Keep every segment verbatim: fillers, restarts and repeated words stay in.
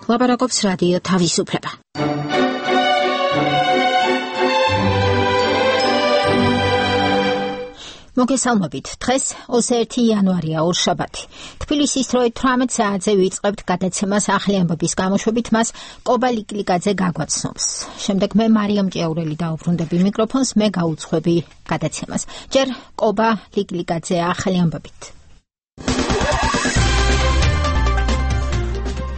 ლაპარაკობს რადიო თავისუფლება. მოგესალმებით. დღეს ოცი ერთი იანვარია, ორშაბათი. თბილისის დროით თვრამეტ საათზე ვიწყებთ გადაცემას ახალი ამბების გამოშვებით მას კობა ლიკლიკაძე გაგვაცნობს. შემდეგ მე მარიამ ჭიაურელი დაუბრუნდები მიკროფონს, მე გაუძღვები გადაცემას. ჯერ კობა ლიკლიკაძე ახალი ამბებით.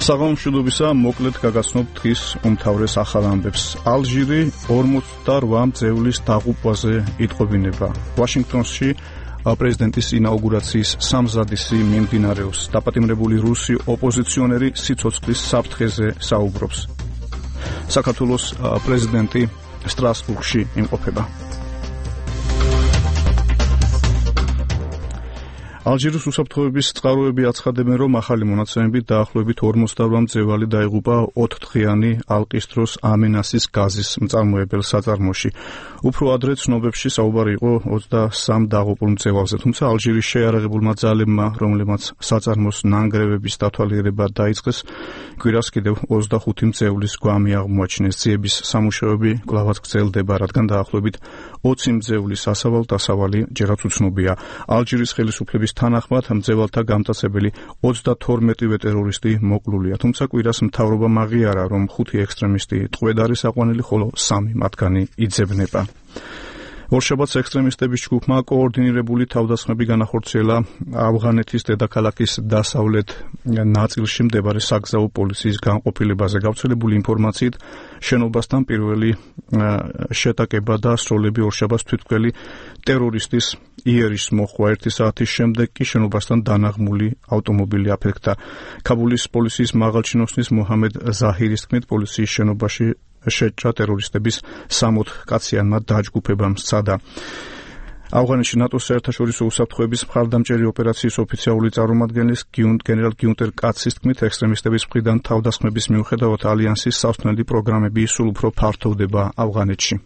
საღამომშვიდობისა, მოკლედ გაგაცნობ დღის უმთავრეს ახალ ამბებს. ალჟირი ორმოცდაოთხ მძევლის დაღუპვაზე იტყობინება. ვაშინგტონში პრეზიდენტის ინაუგურაციის სამზადისი მიმდინარეობს. დაპატიმრებული რუსი ოპოზიციონერი სიცოცხლის საფრთხეზე საუბრობს. საქართველოს პრეზიდენტი სტრასბურგში იმყოფება. ალჟირის უსაფრთხოების წყაროები აცხადებენ, რომ ახალი მონაცემებით დაახლოებით ორმოცდაოთხ მძევალი დაიღუპა ოთხდღიანი ალყის ამენასის გაზის მწარმოებელ საწარმოში. უფრო ადრე ცნობებში საუბარი იყო ოცდასამ დაღუპულ მძევალზე, თუმცა ალჟირის შეიარაღებულმა ძალებმა, რომლებმაც საწარმოს ნანგრევების დათვალიერება დაიწყეს, კვირას კიდევ ოცდახუთი მძევლის გვამი აღმოაჩინეს. ძიების სამუშაოები კვლავაც გრძელდება, რადგან დაახლოებით ოცი მძევლის ასავალ-დასავალი ჯერაც უცნობია. ალჟირის ხელისუფლების თანახმად მძევალთა გამტაცებელი ოცდათორმეტივე ტერორისტი მოკლულია, თუმცა კვირას მთავრობამ აღიარა, რომ ხუთი ექსტრემისტი ტყვედ არის აყვანილი, ხოლო სამი მათგანი იძებნება. ორშაბათს ექსტრემისტების ჯგუფმა კოორდინირებული თავდასხმები განახორციელა ავღანეთის დედაქალაქის დასავლეთ ნაწილში მდებარე საგზაო პოლიციის განყოფილებაზე. გავრცელებული ინფორმაციით, შენობასთან პირველი შეტაკება და სროლები ორშაბათს თვითმკვლელი ტერორისტის იერიშს მოჰყვა. ერთი საათის შემდეგ კი შენობასთან დანაღმული ავტომობილი აფეთქდა. ქაბულის პოლიციის მაღალჩინოსნის მოჰამედ ზაჰირის თქმით, პოლიციის შენობაში შეჭრა ტერორისტების სამოთხ კაციანმა დაჯგუფებამ სცადა. ავღანეთში ნატოს საერთაშორისო უსაფრთხოების მხარდამჭერი ოპერაციის ოფიციალური წარმომადგენლის გენერალ გიუნტერ კაცის თქმით, ექსტრემისტების მხრიდან თავდასხმების მიუხედავად ალიანსის სასწავლელი პროგრამები სულ უფრო ფართოვდება ავღანეთში.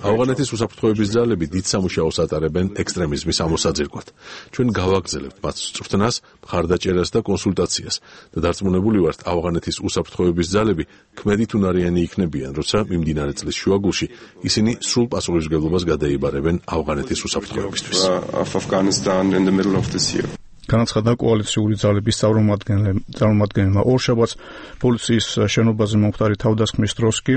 ავღანეთის უსაფრთხოების ძალები დიდ სამუშაოს ატარებენ ექსტრემიზმის ამოსაძირკვად. ჩვენ გავაგრძელებთ მათ სწრაფნას, მხარდაჭერას და კონსულტაციას და დარწმუნებული ვართ, ავღანეთის უსაფრთხოების ძალები ქმედით უნარიანი იქნებიან, როცა მიმდინარე წლის შუაგულში ისინი სრულ პასუხისმგებლობას გადაიბარებენ ავღანეთის უსაფრთხოებისთვის. განაცხადა კოალიციური ძალების წარმომადგენელმა. ორშაბათს პოლიციის შენობაზე მომხდარი თავდასხმის დროს კი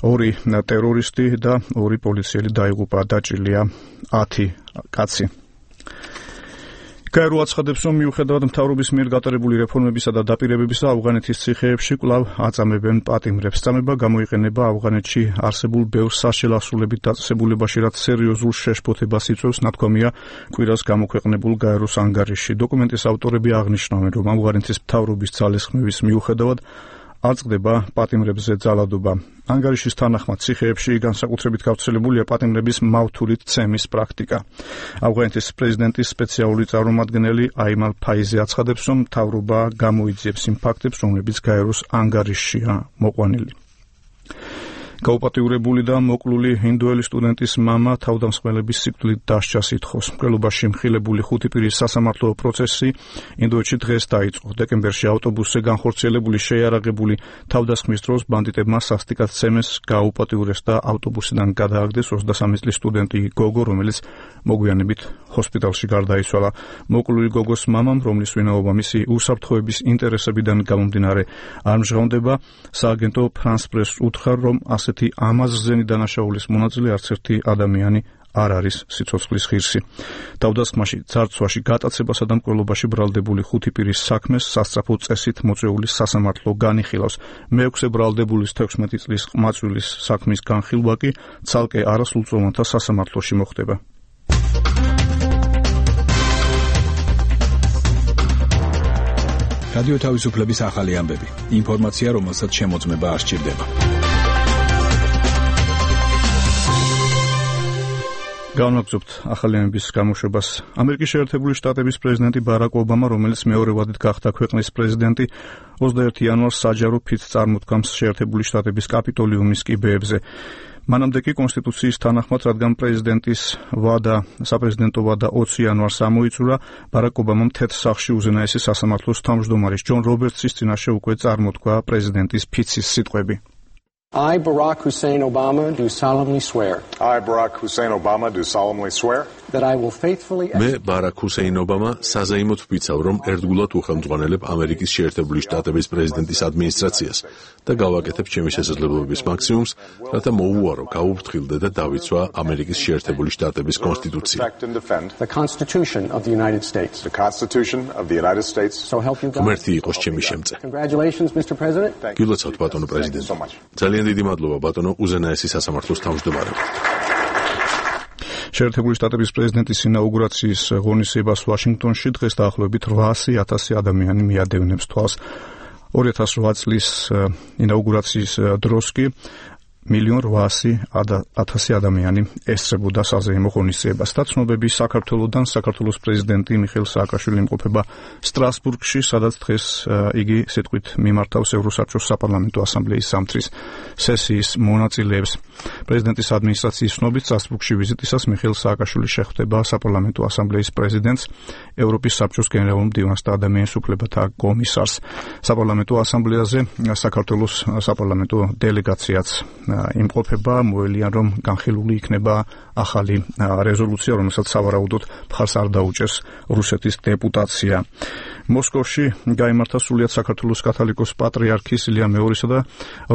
ორი ტერორისტი და ორი პოლიციელი დაიღუპა, დაჭრილია ათი კაცი. გაერო აცხადებს, რომ მიუხედავად მთავრობის მიერ გატარებული რეფორმებისა და დაპირებებისა, ავღანეთის ციხეებში კვლავ აწამებენ პატიმრებს. წამება გამოიყენება ავღანეთში არსებულ ბევრ საშელასრულებით დაწესებულებაში, რაც სერიოზულ შეშფოთებას იწვევს, ნათქვამია კვირას გამოქვეყნებულ გაეროს ანგარიშში. დოკუმენტის ავტორები აღნიშნავენ, რომ ავღანეთის მთავრობის ძალისხმევის მიუხედავად არ წყდება პატიმრებზე ძალადობა. ანგარიშის თანახმად, ციხეებში განსაკუთრებით გავრცელებულია პატიმრების მავთულით ცემის პრაქტიკა. ავღანეთის პრეზიდენტის სპეციალური წარმომადგენელი აიმალ ფაიზი აცხადებს, რომ მთავრობა გამოიძიებს იმ ფაქტებს, რომლებიც გაეროს ანგარიშშია მოყვანილი. გაუპატიურებული და მოკლული ინდოელი სტუდენტის მამა თავდამსხმელების სიკვდილით დასჯას ითხოვს. მკვლელობაში მხილებული ხუთი პირის სასამართლო პროცესი ინდოეთში დღეს დაიწყო. დეკემბერში ავტობუსზე განხორციელებული შეიარაღებული თავდასხმის დროს ბანდიტებმა სასტიკად ცემეს გააუპატიურეს და ავტობუსიდან გადააგდეს ოცდასამი წლის სტუდენტი გოგო, რომელიც მოგვიანებით ჰოსპიტალში გარდაიცვალა. მოკლული გოგოს მამამ, რომლის ვინაობა მისი უსაფრთხოების ინტერესებიდან გამომდინარე არ მჟღავნდება, სააგენტო ფრანს პრესს უთხრა, რომ ასეთი ამაზრზენი დანაშაულის მონაწილე არც ერთი ადამიანი არ არის სიცოცხლის ღირსი. თავდასხმაში, ძარცვაში, გატაცებასა და მკვლელობაში ბრალდებული ხუთი პირის საქმეს სასწრაფო წესით მოწვეული სასამართლო განიხილავს. მეექვსე ბრალდებულის თექვსმეტი წლის ყმაწვილის საქმის განხილვა კი ცალკე არასრულწლოვანთა სასამართლოში მოხდება. რადიო თავისუფლების ახალი ამბები. ინფორმაცია, რომელსაც შემოწმება არ სჭირდება. განვაგრძობთ ახალი ამბების გამოშვებას. ამერიკის შეერთებული შტატების პრეზიდენტი ბარაკ ობამა, რომელიც მეორე ვადით გახდა ქვეყნის პრეზიდენტი, ოცდაერთი იანვარს საჯარო ფიცს წარმოთქვამს შეერთებული შტატების კაპიტოლიუმის კიბეებზე. მანამდე კი კონსტიტუციის თანახმად, რადგან პრეზიდენტის ვადა, საპრეზიდენტო ვადა ოცი იანვარს ამოიწურა, ბარაკ ობამამ თეთრ სახლში უზენაესი სასამართლოს თავმჯდომარის ჯონ რობერტსის წინაშე უკვე წარმოთქვა პრეზიდენტის ფიცის სიტყვები. I, Barack Hussein Obama, do solemnly swear. I, Barack Hussein Obama, do solemnly swear. That I will faithfully. მე ბარაკ ჰუსეინ ობამა საზეიმოდ ვფიცავ, რომ ერთგულად უხელმძღვანელებ ამერიკის შეერთებული შტატების პრეზიდენტის ადმინისტრაციას და გავაკეთებ ჩემი შესაძლებლობების მაქსიმუმს, რათა მოუვარო, გაუფრთხილდე და დავიცვა ამერიკის შეერთებული შტატების კონსტიტუცია. The Constitution of the United States. The Constitution of the United States. So help you God. ღმერთი იყოს ჩემი შემწე. Congratulations, Mister President. გილოცავთ, ბატონო პრეზიდენტი. ძალიან დიდი მადლობა, ბატონო უზენაესი სასამართლოს თავმჯდომარე. შეერთებული შტატების პრეზიდენტის ინაუგურაციის ღონისძიებას ვაშინგტონში დღეს დაახლოებით რვაასი ათასი ადამიანი მიადევნებს თვალს. ორი ათას ოთხ წლის ინაუგურაციის დროს კი მილიონ რვაასი ათასი ადამიანი ესწრებოდა საზეიმო ღონისძიებას. და ცნობები საქართველოდან საქართველოს პრეზიდენტი მიხეილ სააკაშვილი იმყოფება სტრასბურგში, სადაც დღეს იგი სიტყვით მიმართავს ევროსაბჭოს საპარლამენტო ასამბლეის ზამთრის სესიის მონაწილეებს. პრეზიდენტის ადმინისტრაციის ცნობით სტრასბურგში ვიზიტისას მიხეილ სააკაშვილი შეხვდება საპარლამენტო ასამბლეის პრეზიდენტს, ევროპის საბჭოს გენერალურ მდივანს და ადამიანის უფლებათა კომისარს. საპარლამენტო ასამბლეაზე საქართველოს საპარლამენტო დელეგაციაც იმყოფება, მოელიან რომ განხილული იქნება ახალი რეზოლუცია, რომელსაც სავარაუდოდ მხარს არ დაუჭერს რუსეთის დეპუტაცია. მოსკოვში გაიმართა სრულიად საქართველოს კათოლიკოს პატრიარქის ილია მეორისა და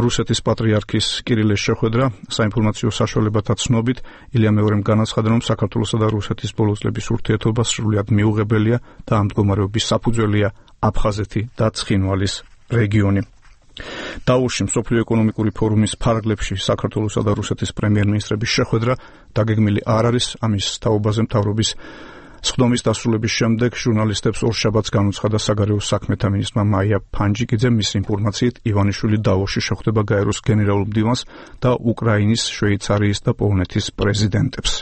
რუსეთის პატრიარქის კირილეს შეხვედრა. საინფორმაციო საშუალებათა ცნობით ილია მეორემ განაცხადა, რომ საქართველოსა და რუსეთის ბოლო წლების ურთიერთობა სრულიად მიუღებელია და ამ მდგომარეობის საფუძველია აფხაზეთი და ცხინვალის რეგიონი. დაურში მსოფლიო ეკონომიკური ფორუმის ფარგლებში საქართველოსა და რუსეთის პრემიერ-მინისტრების შეხვედრა დაგეგმილი არ არის. ამის თაობაზე მთავრობის სხდომის დასრულების შემდეგ ჟურნალისტებს ორშაბათს განუცხადა საგარეო საქმეთა მინისტრმა მაია ფანჯიკიძე. მის ინფორმაციით ივანიშვილი დაურში შეხვდება გაეროს გენერალურ მდივანს და უკრაინის, შვეიცარიის და პოლონეთის პრეზიდენტებს.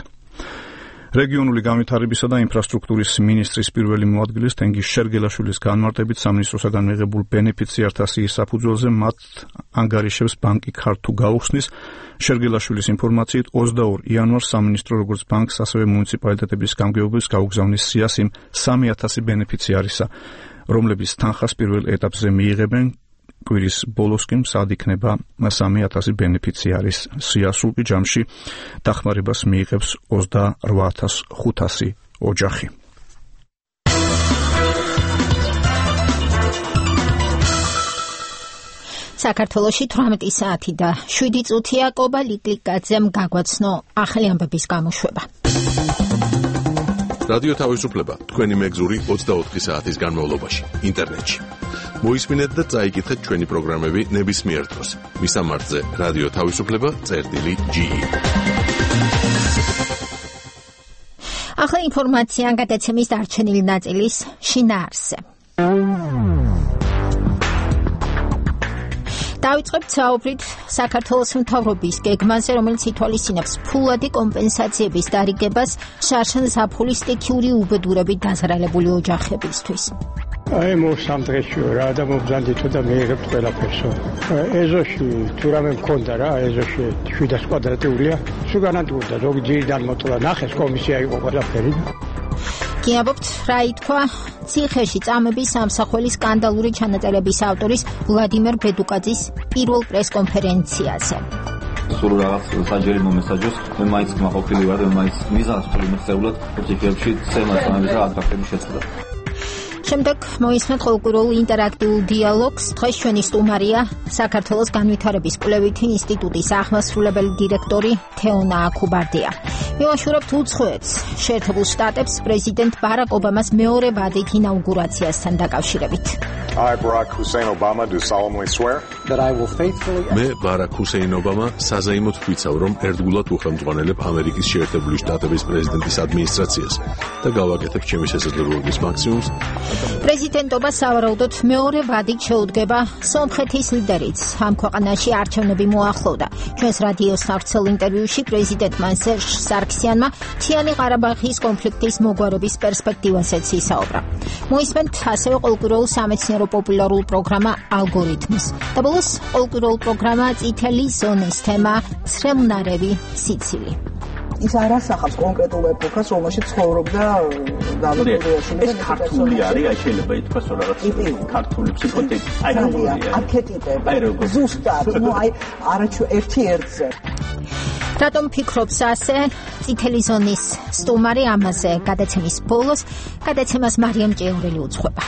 რეგიონული განვითარებისა და ინფრასტრუქტურის მინისტრის პირველი მოადგილის თენგიზ შერგელაშვილის განმარტებით სამინისტროსაგან მიღებულ ბენეფიციართა სიის საფუძველზე მათ ანგარიშებს ბანკი ქართუ გაუხსნის. შერგელაშვილის ინფორმაციით ოცდაორ იანვარს სამინისტრო როგორც ბანკს, ასევე მუნიციპალიტეტების გამგეობებს გაუგზავნის სიას იმ სამი ათასი ბენეფიციარისა, რომლებიც თანხას პირველ ეტაპზე მიიღებენ. კვირის ბოლოსკენ მზად იქნება სამი ათასი ბენეფიციარის სია. სულ ჯამში დახმარებას მიიღებს ოცდარვა ათას ხუთასი ოჯახი. საქართველოში თვრამეტი საათი და შვიდი წუთია. კობა ლიკლიკაძემ გაგვაცნო ახალი ამბების გამოშვება. რადიო თავისუფლება თქვენი მეგზური ოცდაოთხი საათის განმავლობაში ინტერნეტში. მოისმინეთ და წაიკითხეთ ჩვენი პროგრამები ნებისმიერ დროს. მისამართზე რადიო თავისუფლება წერტილი ჯი ი. ახალი ინფორმაცია გადაცემის დარჩენილი ნაწილის შინაარსზე. დავიწყებთ საუბრით საქართველოს მთავრობის გეგმაზე, რომელიც ითვალისწინებს ფულადი კომპენსაციების დარიგებას შარშან ზაფხულის სტიქიური უბედურებით დაზარალებული ოჯახებისთვის. აი მოსამ დღეში რა და მობრძანდით და მიიღებთ ყველაფერსო. ეზოში თუ რამე მქონდა რა, ეზოში შვიდას კვადრატულია. სუგანანტურდა ზოგი ძირიდან მოტლა ნახეს კომისია იყო ყველაფერი. გიაბობთ რა ითქვა ციხეში წამების სამსახველის სკანდალური ჩანაწერების ავტორის ვლადიმერ ბედუკაძის პირველ პრესკონფერენციაზე. სულ რაღაც საჯერი მომესაჯოს, მე მაინც მაყოფილი ვარ, მე მაინც მიზანს ვთვლი მიღწეულად პროექტებში ცემასამების და აკრაფების შეცვლა. შემდეგ მოისმენთ ყოველკვირეულ ინტერაქტიულ დიალოგს. დღეს ჩვენი სტუმარია საქართველოს განვითარების კვლევითი ინსტიტუტის აღმასრულებელი დირექტორი თეონა აქუბარდია. მივაშურებთ უცხოეთს, შეერთებულ შტატებს პრეზიდენტ ბარაკ ობამას მეორე ვადით ინაუგურაციასთან დაკავშირებით. I, Barack Hussein Obama, do solemnly swear that I will faithfully. მე ბარაკ ჰუსეინ ობამა საზეიმოდ ვფიცავ, რომ ერთგულად უხელმძღვანელებ ამერიკის შეერთებული შტატების პრეზიდენტის ადმინისტრაციას და გავაკეთებ ჩემი შესაძლებლობების მაქსიმუმს. პრეზიდენტობა სავარაუდოდ მეორე ვადით შეუდგება სომხეთის ლიდერიც. ამ ქვეყანაში არჩევნები მოახლოვდა. ჩვენს რადიოს სავრცელ ინტერვიუში პრეზიდენტმა სერჟ სარქსიანმა მთიანი ყარაბაღის კონფლიქტის მოგვარების პერსპექტივასაც ისაუბრა. მოისმენთ ასევე ყოველკვირეულ სამეცნიერო პოპულარულ პროგრამა ალგორითმს. და ბოლოს საქართველოს ყოველკვირეულ პროგრამა წითელი ზონის თემა სრემუნარევი სიცილი. ის არ ასახავს კონკრეტულ ეპოქას, რომელშიც ცხოვრობდა დავით. ეს ქართული არის, აი შეიძლება ითქვას, რომ რაღაც ქართული ფსიქოტიპი, აი როგორია. არქეტიპები. ზუსტად, ну აი არაჩუ ერთი ერთზე. რატომ ფიქრობს ასე? წითელი ზონის სტუმარი ამაზე გადაცემის ბოლოს, გადაცემას მარიამ ჭიაურელი უძღვება.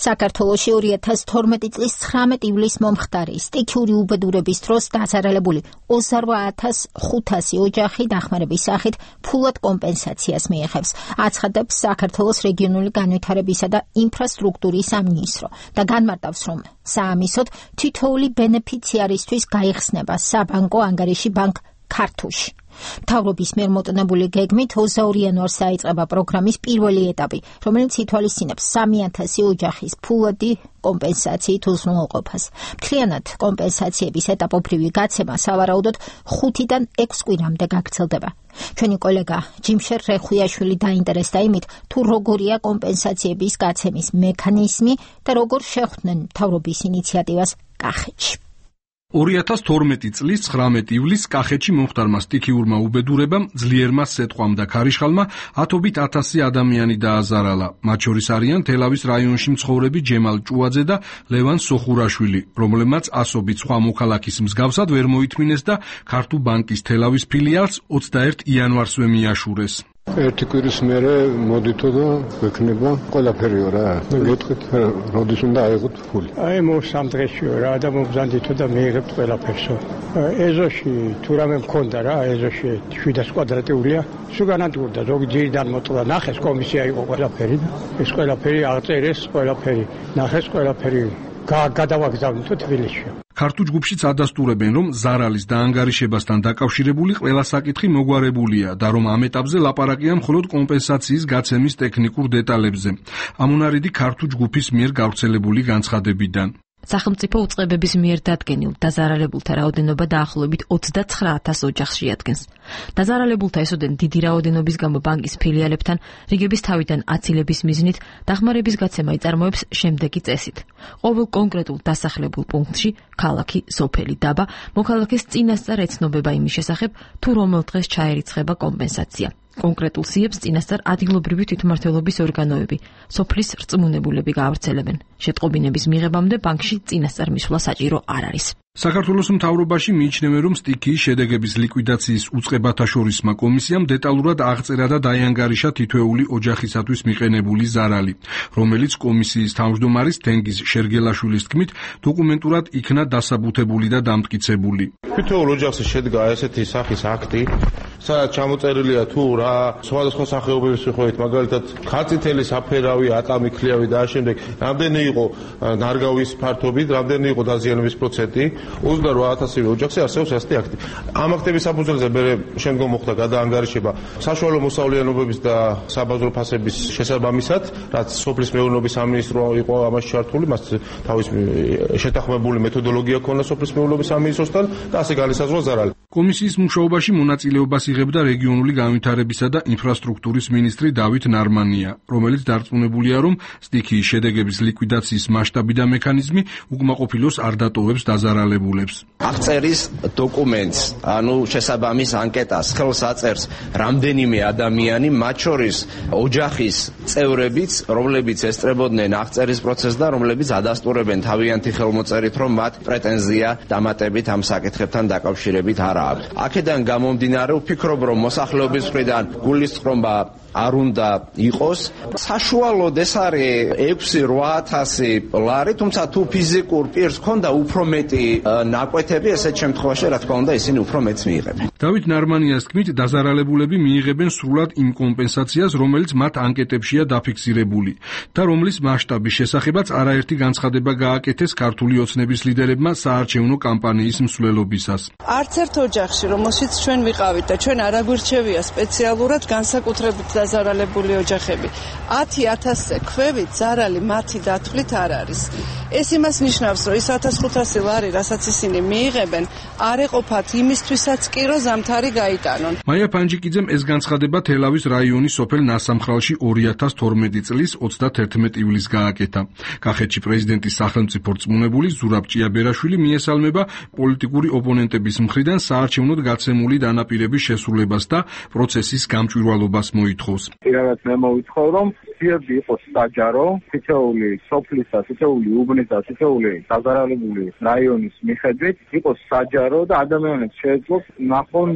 საქართველოში ორი ათას თორმეტი წლის ცხრამეტი ივლისს მომხდარი სტიქიური უბედურების დროს დაზარალებული ოცდაოთხ ათას ხუთასი ოჯახი დახმარების სახით ფულად კომპენსაციას მიიღებს. აცხადებს საქართველოს რეგიონული განვითარებისა და ინფრასტრუქტურის სამინისტრო და განმარტავს, რომ საამისოდ თითოეული ბენეფიციარისთვის გაიხსნება საბანკო ანგარიში ბანკ ქართულში. მთავრობის მიერ მოტანებული გეგმით ოცდაორი იანვარს დაიწყება პროგრამის პირველი ეტაპი, რომელიც ითვალისწინებს სამი ათასი ოჯახის ფულადი კომპენსაციით უზრუნველყოფას. მთლიანად კომპენსაციების ეტაპობრივი გაცემა სავარაუდოდ ხუთიდან ექვს კვირამდე გაგრძელდება. ჩვენი კოლეგა ჯიმშერ რეხუიაშვილი დაინტერესდა იმით, თუ როგორია კომპენსაციების გაცემის მექანიზმი და როგორ შეხვდნენ მთავრობის ინიციატივას კახეთში. ორი ათას თორმეტი წლის ცხრამეტი ივლისს კახეთში მომხდარმა სტიქიურმა უბედურებამ, ძლიერმა სეტყვამ და ქარიშხალმა ათობით ათასი ადამიანი დააზარალა. მათ შორის არიან თელავის რაიონში მცხოვრები ჯემალ ჭუაძე და ლევან სოხურაშვილი, რომლებმაც ასობით სხვა მოქალაქის მსგავსად ვერ მოითმინეს და ქართულ ბანკის თელავის ფილიალს ოცდაერთი იანვარსვე მიაშურეს. ერთი კვირის მერე მოდითო და გვექნება ყველაფერიო რა. გეტყვით, როდის უნდა აიღოთ ფული. აი მოსამ დღეშიო რა და მომბზანდითო და მიიღებთ ყველაფერსო. ეზოში თუ რამე მქონდა რა, ეზოში შვიდას კვადრატიულია. სულგანად გურდა ზოგი ძირიდან მოტლა ნახეს კომისია იყო ყველაფერი და ეს ყველაფერი აღწერეს, ყველაფერი ნახეს, ყველაფერი გადავაგზავნითო თბილისში. ქართულ ჯგუფშიც ადასტურებენ, რომ ზარალის დაანგარიშებასთან დაკავშირებული ყველა საკითხი მოგვარებულია და რომ ამ ეტაპზე ლაპარაკია მხოლოდ კომპენსაციის გაცემის ტექნიკურ დეტალებზე. ამონარიდი ქართულ ჯგუფის მიერ გავრცელებული განცხადებიდან. სახელმწიფო უწყებების მიერ დადგენილ დაზარალებულთა რაოდენობა დაახლოებით ოცდაცხრა ათას ოჯახს შეადგენს. დაზარალებულთა ესოდენ დიდი რაოდენობის გამო ბანკის ფილიალებთან რიგების თავიდან აცილების მიზნით დახმარების გაცემა იწარმოებს შემდეგი წესით. ყოველ კონკრეტულ დასახლებულ პუნქტში, ქალაქი, სოფელი, დაბა, მოქალაქეს წინასწარ ეცნობება იმის შესახებ, თუ რომელ დღეს ჩაერიცხება კომპენსაცია. კონკრეტულ სიებს წინასწარ ადგილობრივი თვითმმართველობის ორგანოები, სოფლის რწმუნებულები გაავრცელებენ. შეტყობინების მიღებამდე ბანკში წინასწარ მისვლა საჭირო არ არის. საქართველოს მთავრობაში მიიჩნევენ, რომ სტიქიის შედეგების ლიკვიდაციის უწყებათა შორისმა კომისიამ დეტალურად აღწერა და დაიანგარიშა თითოეული ოჯახისათვის მიყენებული ზარალი, რომელიც კომისიის თავმჯდომარის თენგიზ შერგელაშვილის თქმით დოკუმენტურად იქნა დასაბუთებული და დამტკიცებული. თითოეულ ოჯახზე შედგა ესეთი სახის აქტი, სადაც ჩამოწერილია თუ რა სხვადასხვა სახეობების მიხედვით, მაგალითად ხარწითელი, საფერავი, ატამი, ქლიავი და ამავდროულად რამდენი იყო ნარგავის ფართობით, რამდენი იყო დაზიანების პროცენტი. ოცდაოთხ ათასი ოჯახზე არსებობს ასეთი აქტი. ამ აქტების საფუძველზე მე შემდგომ მოხდა გადაანგარიშება საშუალო მოსავლიანობების და საბაზრო ფასების შესაბამისად, რაც სოფლის მეურნეობის სამინისტრო იყო ამაში ჩართული, მას თავის შეთანხმებული მეთოდოლოგია ჰქონდა სოფლის მეურნეობის სამინისტროსთან და ასე განისაზღვრა ზარალი. კომისიის მუშაობაში მონაწილეობას იღებდა რეგიონული განვითარებისა და ინფრასტრუქტურის მინისტრი დავით ნარმანია, რომელიც დარწმუნებულია, რომ სტიქიის შედეგების ლიკვიდაციის მასშტაბი და მექანიზმი უკმაყოფილოს არ დატოვებს დაზარალებულებს. აღწერის დოკუმენტს, ანუ შესაბამის ანკეტას ხელს აწერს რამდენიმე ადამიანი, მათ შორის ოჯახის წევრებიც, რომლებიც ესწრებოდნენ აღწერის პროცესს და რომლებიც ადასტურებენ თავიანთი ხელმოწერით, რომ მათ პრეტენზია დამატებით ამ საკითხებთან დაკავშირებით არ აქვს. აქედან გამომდინარე, ვფიქრობ, რომ მოსახლეობის მხრიდან გულისწყრობა არ უნდა იყოს. საშუალოდ ეს არის ექვსი რვა ათასი ლარი, თუმცა თუ ფიზიკურ პირს ქონდა უფრო მეტი ნაკვეთები, ესეთ შემთხვევაში რა თქმა უნდა ისინი უფრო მეტს მიიღებენ. დავით ნარმანიას თქმით, დაზარალებულები მიიღებენ სრულად იმ კომპენსაციას, რომელიც მათ ანკეტებშია დაფიქსირებული და რომლის მასშტაბის შესახებაც არაერთი განცხადება გააკეთეს ქართული ოცნების ლიდერებმა საარჩევნო კამპანიის მსვლელობისას. არც ერთ ოჯახში, რომელშიც ჩვენ ვიყავით და ჩვენ არ აგვირჩევია სპეციალურად განსაკუთრებით და დაზარალებული ოჯახები. ათი ათასზე ქვევით ზარალი მათი დათვლით არ არის. ეს იმას ნიშნავს, რომ ის ათას ხუთასი ლარი, რასაც ისინი მიიღებენ, არ ეყოფათ იმისთვისაც კი, რომ ზამთარი გაიტანონ. მაია პანჯიკიძემ ეს განცხადება თელავის რაიონის სოფელ ნასამხრალში ორი ათას თორმეტი წლის ოცდაათი ივლისს გააკეთა. კახეთში პრეზიდენტის სახელმწიფო რწმუნებული ზურაბ ჭიაბერაშვილი მიესალმება პოლიტიკური ოპონენტების მხრიდან საარჩევნოდ გაცემული დანაპირების შესრულებას და პროცესის გამჭვირვალობას მოითხოვს. პირადად მე მოვითხოვ, რომ სიები იყოს საჯარო, თითოეული სოფლისა, თითოეული უბნისა, თითოეული დაზარალებული რაიონის მიხედვით იყოს საჯარო და ადამიანებს შეეძლოს ნახონ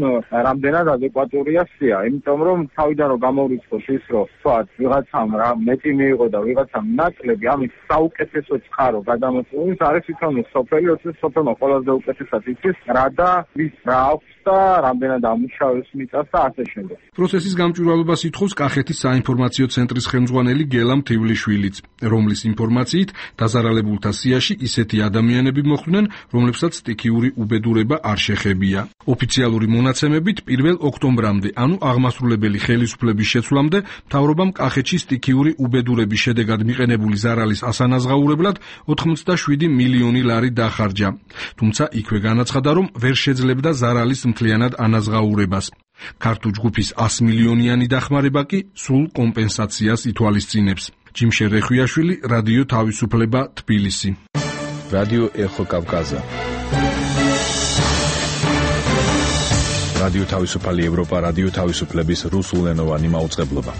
რამდენად ადეკვატურია სია, იმიტომ რომ თავიდან რომ გამორიცხოს ის, რომ თქვათ ვიღაცამ რა მეტი მიიღო და ვიღაცამ ნაკლები, ამის საუკეთესო წყარო გადამოწყვეტი არის თვითონ სოფელი, როცა სოფელმა ყველაზე უკეთესად იცის რა და ვის რა აქვს და რამდენად ამუშავებს მიწას და ასე შემდეგ. პროცესის გამჭვირვალობას ითხოვს კახეთის საინფორმაციო ცენტრის ხელმძღვანელი გელა მთივლიშვილიც, რომლის ინფორმაციით დაზარალებულთა სიაში ისეთი ადამიანები მოხვდნენ, რომლებსაც სტიქიური უბედურება არ შეხებია. ოფიციალური მონაცემებით პირველ ოქტომბრამდე, ანუ აღმასრულებელი ხელისუფლების შეცვლამდე, მთავრობამ კახეთში სტიქიური უბედურების შედეგად მიყენებული ზარალის ასანაზღაურებლად ოცდაშვიდი მილიონი ლარი დახარჯა. თუმცა იქვე განაცხადა, რომ ვერ შეძლებდა ზარალის მთლიანად ანაზღაურებას. ქართულ ჯგუფის ას მილიონიანი დახმარება კი სულ კომპენსაციას ითვალისწინებს. ჯიმშე რეხვიაშვილი, რადიო თავისუფლება, თბილისი. რადიო ეხო კავკაზა. რადიო თავისუფალი ევროპა, რადიო თავისუფლების რუსულენოვანი მაუწყებლობა.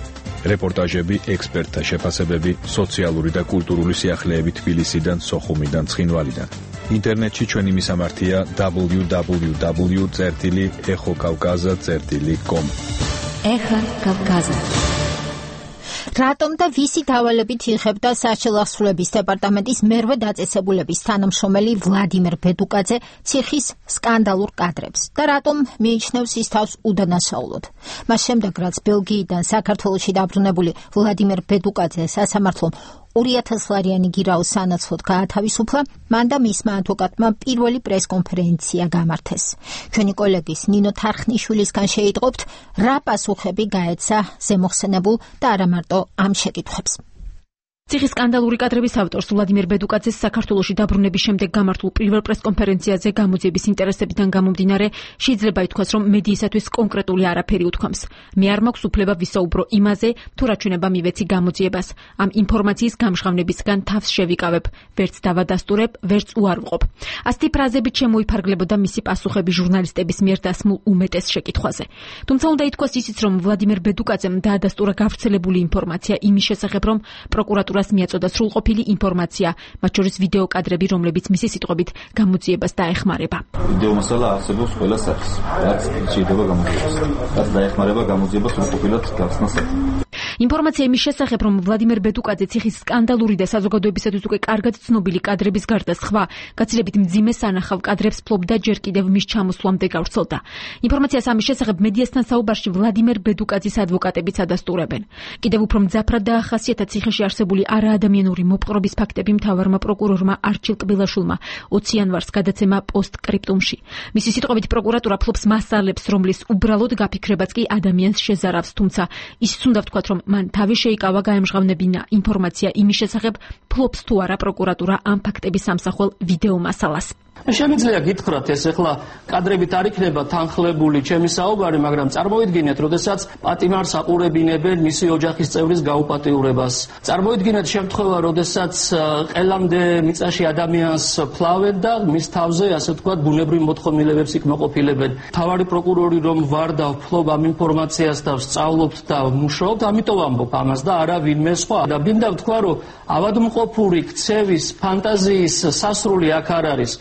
რეპორტაჟები, ექსპერტთა შეფასებები, სოციალური და კულტურული სიახლეები თბილისიდან, სოხუმიდან, ცხინვალიდან. ინტერნეტში ჩვენი მისამართია დაბლიუ დაბლიუ დაბლიუ წერტილი ეხო კავკაზა წერტილი კომ. ეხა კავკაზა. რატომ და ვისი დავალებით იღებდა საჩელახსრულების დეპარტამენტის მერვე დაწესებულების თანამშრომელი ვლადიმერ ბედუკაძე ციხის სკანდალურ კადრებს და რატომ მიიჩნევს ის თავს უდანაშაულოდ. მას შემდეგ, რაც ბელგიიდან საქართველოში დაბრუნებული ვლადიმერ ბედუკაძე სასამართლომ ორი ათას ლარიანი გირაოს სანაცვლოდ გაათავისუფლა, მან და მისმა ადვოკატმა პირველი პრესკონფერენცია გამართეს. ჩვენი კოლეგის ნინო თარხნიშვილისგან შეიტყობთ, რა პასუხები გაეცა ზემოხსენებულ და არა მარტო ამ შეკითხვებს. ციხის სკანდალური კადრების ავტორს ვლადიმერ ბედუკაძეს საქართველოში დაბრუნების შემდეგ გამართულ პირველ პრესკონფერენციაზე გამოძიების ინტერესებიდან გამომდინარე შეიძლება ითქვას, რომ მედიისათვის კონკრეტული არაფერი უთქვამს. მე არ მაქვს უფლება ვისაუბრო იმაზე, თუ რა ჩვენება მივეცი გამოძიებას. ამ ინფორმაციის გამჟღავნებისგან თავს შევიკავებ, ვერც დავადასტურებ, ვერც უარვყოფ. ასეთი ფრაზებით შემოიფარგლებოდა მისი პასუხები ჟურნალისტების მიერ დასმულ უმეტეს შეკითხვაზე. თუმცა უნდა ითქვას ისიც, რომ ვლადიმერ ბედუკაძემ დაადასტურა გავრცელებული ინფორმაცია იმის შესახებ, რომ პროკურატურა მიაწოდა სრულყოფილი ინფორმაცია, მათ შორის ვიდეო კადრები, რომლებიც მისი სიტყვებით გამოძიებას დაეხმარება. ვიდეო მასალა არსებობს ყველა სახის, რაც შეიძლება გამოძიებას. რაც დაეხმარება გამოძიებას სრულყოფილად გახსნას. ინფორმაცია იმის შესახებ, რომ ვლადიმერ ბედუკაძე ციხის სკანდალური და საზოგადოებისათვის უკვე კარგად ცნობილი კადრების გარდა სხვა გაცილებით მძიმე სანახავ კადრებს ფლობდა ჯერ კიდევ მის ჩამოსვლამდე გავრცელდა. ინფორმაციას ამის შესახებ მედიასთან საუბარში ვლადიმერ ბედუკაძის ადვოკატებიც ადასტურებენ. კიდევ უფრო მძაფრად დაახასიათა ციხეში არსებული არაადამიანური მოპყრობის ფაქტები მთავარმა პროკურორმა არჩილ კბილაშვილმა ოცი იანვარს გადაცემა პოსტკრიპტუმში. მისი სიტყვებით პროკურატურა ფლობს მასალებს, რომლის უბრალოდ გაფიქრებაც კი ადამიანს შეზარავს, თუმცა ისიც უნდა ვთქვათ, რომ მან თავი შეიკავა გაემჟღავნებინა ინფორმაცია იმის შესახებ, ფლობს თუ არა პროკურატურა ამ ფაქტების ამსახველ ვიდეო მასალას. შემიძლია გითხრათ, ეს ახლა კადრებით არ იქნება თანხლებული ჩემი საუბარი, მაგრამ წარმოიდგინეთ, როდესაც პატიმარს აყურებინებენ მისი ოჯახის წევრის გაუპატიურებას. წარმოიდგინეთ შემთხვევა, როდესაც ყელამდე მიწაში ადამიანს ფლავენ და მის თავზე, ასე ვთქვათ, ბუნებრივ მოთხოვნილებებს იქ-მოყოფილებენ. მთავარი პროკურორი რომ ვარ და ვფლობ ამ ინფორმაციას და ვსწავლობთ და ვმუშაობთ, ამიტომ ამბობ ამას და არა ვინმე სხვა. და მინდა ვთქვა, რომ ავადმყოფური ქცევის, ფანტაზიის სასრული აქ არ არის.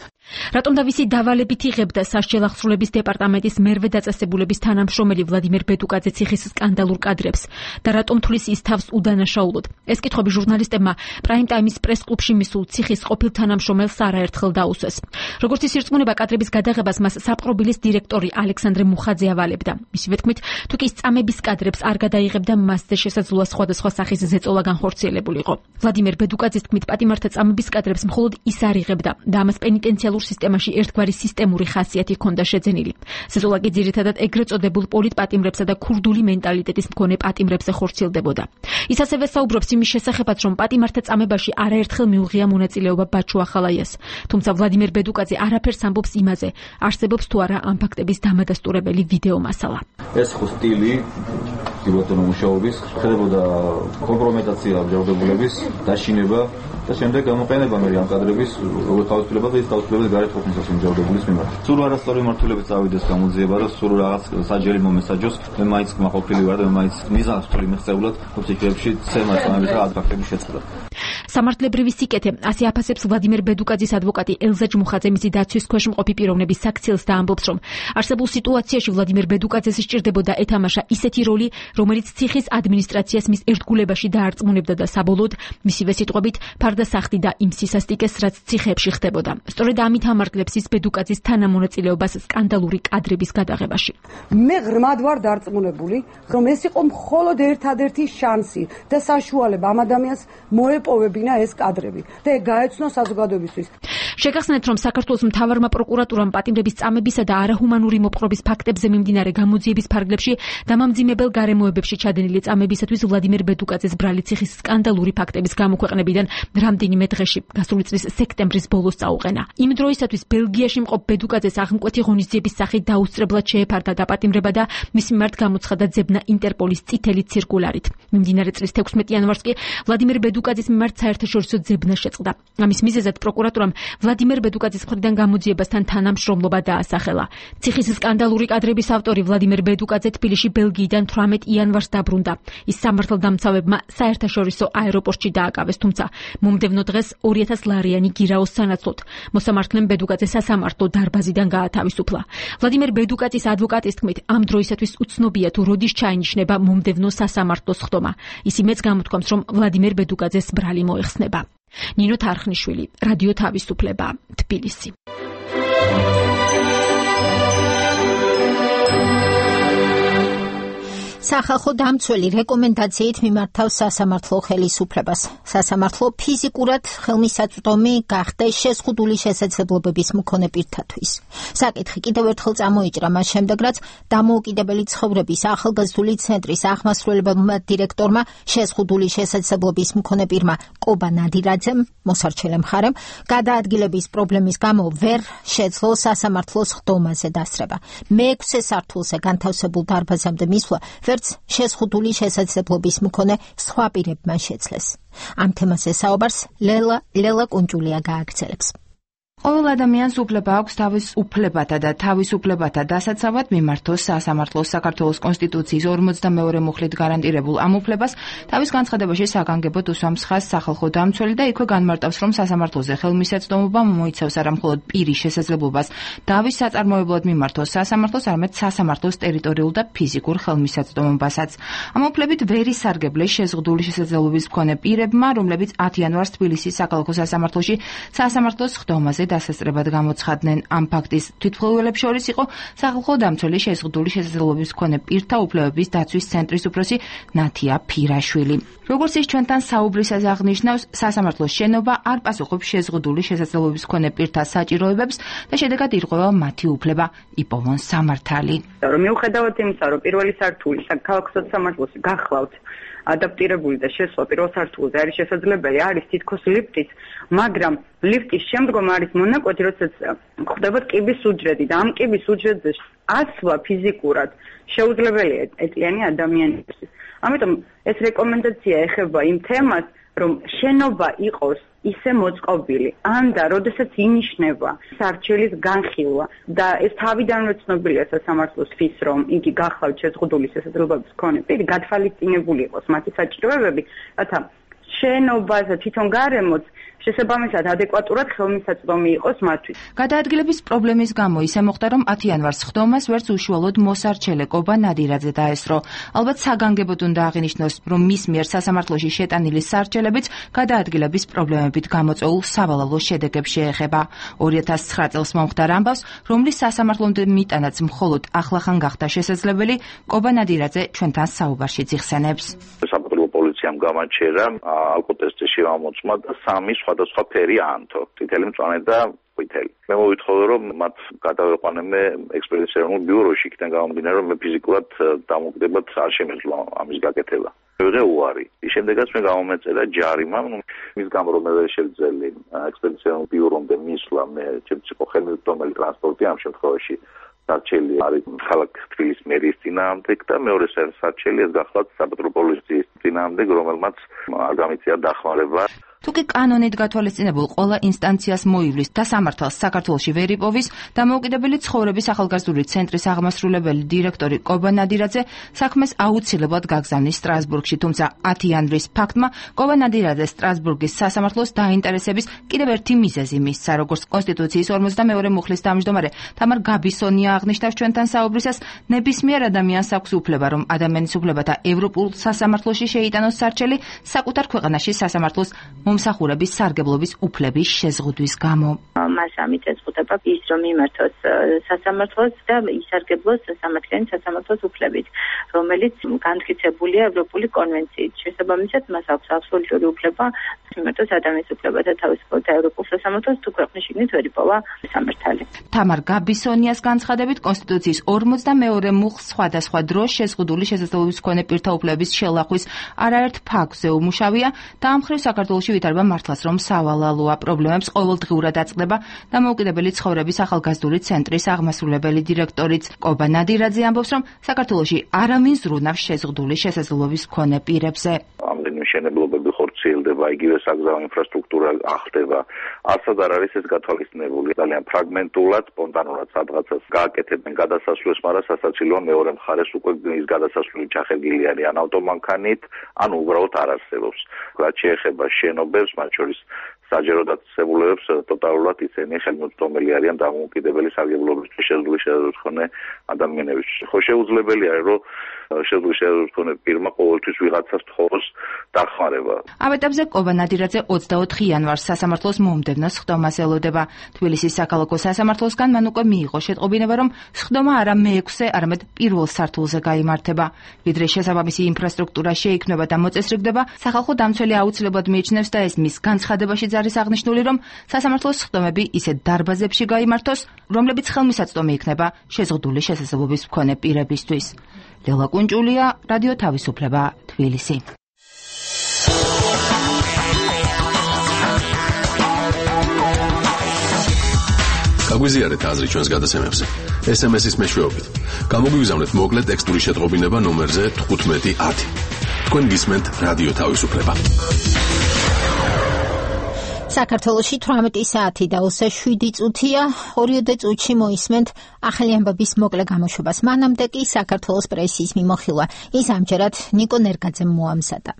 რატომ და ვისი დავალებით იღებდა სასჯელახსრულების დეპარტამენტის მერვე დაწესებულების თანამშრომელი ვლადიმერ ბედუკაძე ციხის სკანდალურ კადრებს და რატომ თulis ის თავს უდანაშაულოდ? ეს კითხვები ჟურნალისტებმა პრაიმ ტაიმის პრეს-კლუბში მისულ ციხის ყოფილ თანამშრომელს არაერთხელ დაუსვეს. როგორც ის ირწმუნება, კადრების გადაღებას მას საპყრობილის დირექტორი ალექსანდრე მუხაძე ავალებდა. მისივე თქმით, თუ კი წამების კადრებს არ გადაიღებდა, მასზე შესაძლოა სხვადასხვა სახის ზეწოლა განხორციელებულიყო. ვლადიმერ ბედუკაძის თქმით, პატიმართა წამების კადრებს მხოლოდ ის არ იღებდა და ამას პენიტენციალურ პენალურ სისტემაში ერთგვარი სისტემური ხასიათი ჰქონდა შეძენილი. სეზოლა კი ძირითადად ეგრეთ წოდებულ პოლიტპატიმრებსა და ქურდული მენტალიტეტის მქონე პატიმრებზე ხორციელდებოდა. ის ასევე საუბრობს იმის შესახებაც, რომ პატიმართა წამებაში არაერთხელ მიუღია მონაწილეობა ბაჩუ ახალაიას. თუმცა ვლადიმერ ბედუკაძე არაფერს ამბობს იმაზე, არსებობს თუ არა ამ ფაქტების დამადასტურებელი ვიდეო მასალა. ეს ხო სტილი დიბატონო მუშაობის ხდებოდა კომპრომეტაცია ამჯერდებულების დაშინება და შემდეგ გამოყენება მე ამ კადრების როგორ თავისუფლება და ის თავისუფლების გარეთ ყოფნისას ამჯერდებულის მიმართ. სულ არასწორი მართულებით წავიდეს გამოძიება და სულ რაღაც საჯელი მომესაჯოს მე მაინც მაყოფილი ვარ და მე მაინც მიზანს ვთვლი მიღწეულად ოფიციებში ცემას ამის რა ფაქტები შეწყდა. სამართლებრივი სიკეთე ასე აფასებს ვლადიმერ ბედუკაძის ადვოკატი ელზა ჯმუხაძე მისი დაცვის ქვეშ მყოფი პიროვნების საქციელს და ამბობს, რომ არსებულ სიტუაციაში ვლადიმერ ბედუკაძეს სჭირდებოდა ეთამაშა ისეთი როლი, რომელიც ციხის ადმინისტრაციას მის ერთგულებაში დაარწმუნებდა და საბოლოოდ მისივე სიტყვებით ფარდა სახდი და იმ სისასტიკეს, რაც ციხეებში ხდებოდა. სწორედ ამით ამარგლებს ის ბედუკაძის თანამონაწილეობას სკანდალური კადრების გადაღებაში. მე ღრმად ვარ დარწმუნებული, რომ ეს იყო მხოლოდ ერთადერთი შანსი და საშუალება ამ ადამიანს მოეპოვებინა ეს კადრები და გაეცნო საზოგადოებისთვის. შეგახსენეთ, რომ საქართველოს მთავარმა პროკურატურამ პატიმრების წამებისა და არაჰუმანური მოპყრობის ფაქტებზე მიმდინარე გამოძიების ფარგლებში დამამძიმებელ გარემოებებში ჩადენილი წამებისათვის ვლადიმერ ბედუკაძეს ბრალი ციხის სკანდალური ფაქტების გამოქვეყნებიდან რამდენიმე დღეში, გასული წლის სექტემბრის ბოლოს წაუყენა. იმ დროისათვის ბელგიაში მყოფ ბედუკაძეს აღმკვეთი ღონისძიების სახით დაუსწრებლად შეეფარდა დაპატიმრება და მის მიმართ გამოცხადა ძებნა ინტერპოლის წითელი ცირკულარით. მიმდინარე წლის თექვსმეტი იანვარს კი ვლადიმერ ბედუკაძის მიმართ საერთაშორისო ძებნა შეწყდა. ამის მიზეზად პროკურატურამ ვლადიმერ ბედუკაძის მხრიდან გამოძიებასთან თანამშრომლობა დაასახელა. ციხის სკანდალური კადრების ავტორი ვლადიმერ ბედუკაძე თბილისში ბელგიიდან თვრამეტ იანვარს დაბრუნდა. ის სამართალდამცავებმა საერთაშორისო აეროპორტში დააკავეს, თუმცა მომდევნო დღეს ორი ათას ლარიანი გირაოს სანაცვლოდ მოსამართლემ ბედუკაძე სასამართლო დარბაზიდან გაათავისუფლა. ვლადიმერ ბედუკაძის ადვოკატის თქმით, ამ დროისათვის უცნობია თუ როდის ჩაინიშნება მომდევნო სასამართლოს ხდომა. ის იმედს გამოთქვამს, რომ ვლადიმერ ბედუკაძეს ბრალი მოეხსნება. ნინო თარხნიშვილი, რადიო თავისუფლება, თბილისი. სახალხო დამცველი რეკომენდაციით მიმართავს სასამართლო ხელისუფლებას. სასამართლო ფიზიკურად ხელმისაწვდომი გახდეს შეზღუდული შესაძლებლობების მქონე პირთათვის. საკითხი კიდევ ერთხელ წამოიჭრა მას შემდეგ, რაც დამოუკიდებელი ცხოვრების ახალგაზრდული ცენტრის ახმასრულებელმა დირექტორმა შეზღუდული შესაძლებლობის მქონე პირმა კობა ნადირაძემ, მოსარჩელე მხარემ, გადაადგილების პრობლემის გამო ვერ შეძლო სასამართლოს ხდომაზე დასრება. მეექვსე სართულზე განთავსებულ დარბაზამდე მისვლა შეზღუდული შესაძლებლობის მქონე სხვა პირებმა შეძლეს. ამ თემაზე საუბარს ლელა ლელა კუნჭულია გააგრძელებს. ყოველ ადამიანს უფლება აქვს თავის უფლებათა და თავისუფლებათა დასაცავად მიმართოს სასამართლოს. საქართველოს კონსტიტუციის ორმოცდამეორე მუხლით გარანტირებულ ამ უფლებას თავის განცხადებაში საგანგებოდ უსვამს ხაზს სახალხო დამცველი და იქვე განმარტავს, რომ სასამართლოზე ხელმისაწვდომობა მოიცავს არა მხოლოდ პირის შესაძლებლობას დავის საწარმოებლად მიმართოს სასამართლოს, არამედ სასამართლოს ტერიტორიულ და ფიზიკურ ხელმისაწვდომობასაც. ამ უფლებით ვერ ისარგებლეს შეზღუდული შესაძლებლობის მქონე პირებმა, რომლებიც ათი იანვარს თბილისის საქალაქო სასამართლოში სასამართლოს ხდომაზე დასასწრებად გამოცხადნენ. ამ ფაქტის თვითმხილველებს შორის იყო სახალხო დამცველი შეზღუდული შესაძლებლობის მქონე პირთა უფლებების დაცვის ცენტრის უფროსი ნათია ფირაშვილი. როგორც ის ჩვენთან საუბრისას აღნიშნავს, სასამართლოს შენობა არ პასუხობს შეზღუდული შესაძლებლობის მქონე პირთა საჭიროებებს და შედეგად ირღვევა მათი უფლება იპოვონ სამართალი. მიუხედავად იმისა, რომ პირველი სართული საქალაქო სასამართლოში გახლავთ ადაპტირებული და შესვლა პირველ სართულზე არის შესაძლებელი, არის თითქოს ლიფტით, მაგრამ ლიფტის შემდგომ არის მონაკვეთი, როდესაც ხდება კიბის უჯრედი და ამ კიბის უჯრედზე ასვლა ფიზიკურად შეუძლებელია ეტლიანი ადამიანისთვის. ამიტომ ეს რეკომენდაცია ეხება იმ თემას, რომ შენობა იყოს ისე მოწყობილი, ან და როდესაც ინიშნება სარჩელის განხილვა და ეს თავიდანვე ცნობილია სასამართლოსთვის, რომ იგი გახლავთ შეზღუდული შესაძლებლობის მქონე პირი, გათვალისწინებული იყოს მათი საჭიროებები, რათა შენობაზე თვითონ გარემოც შესაბამისად ადეკვატურად ხელმისაწვდომი იყოს მათთვის. გადაადგილების პრობლემის გამო ისე მოხდა, რომ ათი იანვარს ხდომას ვერც უშუალოდ მოსარჩელე კობა ნადირაძე დაესწრო. ალბათ საგანგებოდ უნდა აღინიშნოს, რომ მის მიერ სასამართლოში შეტანილი სარჩელებიც გადაადგილების პრობლემებით გამოწვეულ სავალალო შედეგებს შეეხება. ორი ათას ცხრა წელს მომხდარ ამბავს, რომლის სასამართლომდე მიტანაც მხოლოდ ახლახან გახდა შესაძლებელი, კობა ნადირაძე ჩვენთან საუბარშიც იხსენებს. პოლიციამ გამაჩერა ალკოტესტში ამოწმა და სამი სხვადასხვა ფერი აანთო. წითელი, მწვანე და ყვითელი. მე მოვითხოვე რომ მათ გადავეყვანებმე ექსპედიციონულ ბიუროში, იქიდან გამომდინარე რომ მე ფიზიკურად დამოკიდებად არ შემეძლო ამის გაკეთება. ვიღე უარი. ის შემდეგაც მე გამომეწერა ჯარიმა, მის გამო რომ მე ვერ შევძელი ექსპედიციონულ ბიურომდე მისვლა, მე ჩემს იყო ხელმისაწვდომელი ტრანსპორტი ამ შემთხვევაში სარჩელი არის ქალაქ თბილისის მერიის წინააღმდეგ და მეორე სარჩელი ეს გახლავთ საპატრულო პოლიციის წინააღმდეგ, რომელმაც არ გამიწია დახმარება. თუკი კანონით გათვალისწინებულ ყველა ინსტანციას მოივლის და სამართალს საქართველოში ვერ იპოვის, დამოუკიდებელი ცხოვრების ახალგაზრდული ცენტრის აღმასრულებელი დირექტორი კობა ნადირაძე საქმეს აუცილებლად გაგზავნის სტრასბურგში, თუმცა ათი იანვრის ფაქტმა კობა ნადირაძე სტრასბურგის სასამართლოს დაინტერესების კიდევ ერთი მიზეზი მისცა, როგორც კონსტიტუციის ორმოცდამეორე მუხლის თავმჯდომარე თამარ გაბისონია აღნიშნავს ჩვენთან საუბრისას, ნებისმიერ ადამიანს აქვს უფლება, რომ ადამიანის უფლებათა ევროპულ სასამართლოში შეიტანოს სარჩელი საკუთარ ქვეყანაში სასამართლოს მომსახურების სარგებლობის უფლების შეზღუდვის გამო. მას ამით ეზღუდება ის, რომ იმართოს სასამართლოს და ისარგებლოს სამართლიანი სასამართლოს უფლებით, რომელიც განმტკიცებულია ევროპული კონვენციით. შესაბამისად, მას აქვს აბსოლუტური უფლება იმართოს ადამიანის უფლებათა თავისუფლად ევროპულ სასამართლოს, თუ ქვეყნის შიგნით ვერ იპოვა სამართალი. თამარ გაბისონიას განცხადებით, კონსტიტუციის ორმოცდამეორე მუხლს სხვადასხვა დროს შეზღუდული შესაძლებლობის მქონე პირთა უფლებების შელახვის არაერთ ფაქტზე უმუშავია და ამ მხრივ საქართველოში ვითარება მართლაც რომ სავალალოა პრობლემებს ყოველდღიურად აწყდება დამოუკიდებელი ცხოვრების ახალგაზრდული ცენტრის აღმასრულებელი დირექტორიც კობა ნადირაძე ამბობს, რომ საქართველოში არავინ ზრუნავს შეზღუდული შესაძლებლობის მქონე პირებზე. ამდენი მშენებლობები ხორციელდება, იგივე საგზაო ინფრასტრუქტურა ახდება. არცად არ არის ეს გათვალისწინებული. ძალიან ფრაგმენტულად, სპონტანურად სადღაცას გააკეთებენ გადასასვლელს, მაგრამ სასაცილოა მეორე მხარეს უკვე ის გადასასვლელი ჩახერგილი არის ან ავტომანქანით, ან უბრალოდ არ არსებობს. რაც შეეხება შენობებს, მათ შორის საჯარო დაწესებულებებს, ტოტალურად ისინი ხელმისაწვდომელი არიან დამოუკიდებელი სარგებლობისთვის შესაძლებელი შესაძლებლობის მქონე ადამიანების. ხო შეუძლებელი არის, რომ შესაძლებელი შესაძლებლობის მქონე პირმა ყოველთვის ვიღაცას თხოვოს დახმარება. ამ ეტაპზე კობა ნადირაძე ოცდაოთხი იანვარს სასამართლოს მომდევნო სხდომას ელოდება. თბილისის საქალაქო სასამართლოსგან მან უკვე მიიღო შეტყობინება, რომ სხდომა არა მეექვსე, არამედ პირველ სართულზე გაიმართება. ვიდრე შესაბამისი ინფრასტრუქტურა შეიქმნება და მოწესრიგდება, სახალხო დამცველი აუცილებლად მიიჩნევს და ეს მის განცხადებაშიც არის აღნიშნული, რომ სასამართლოს სხდომები ისეთ დარბაზებში გაიმართოს, რომლებიც ხელმისაწვდომი იქნება შეზღუდული შესაძლებლობის მქონე პირებისთვის. ლელა კუნჭულია, რადიო თავისუფლება, თბილისი. გაგვიზიარეთ აზრი ჩვენს გადაცემებზე. ეს ემ ეს-ის მეშვეობით. გამოგვიგზავნეთ მოკლე ტექსტური შეტყობინება ნომერზე თხუთმეტი ათი. თქვენ გისმენთ რადიო თავისუფლება. საქართველოში თვრამეტი საათი და ოცდაშვიდი წუთია, ორიოდე წუთში მოისმენთ ახალი ამბების მოკლე გამოშვებას. მანამდე კი საქართველოს პრესის მიმოხილვა. ის ამჯერად ნიკო ნერგაძემ მოამზადა.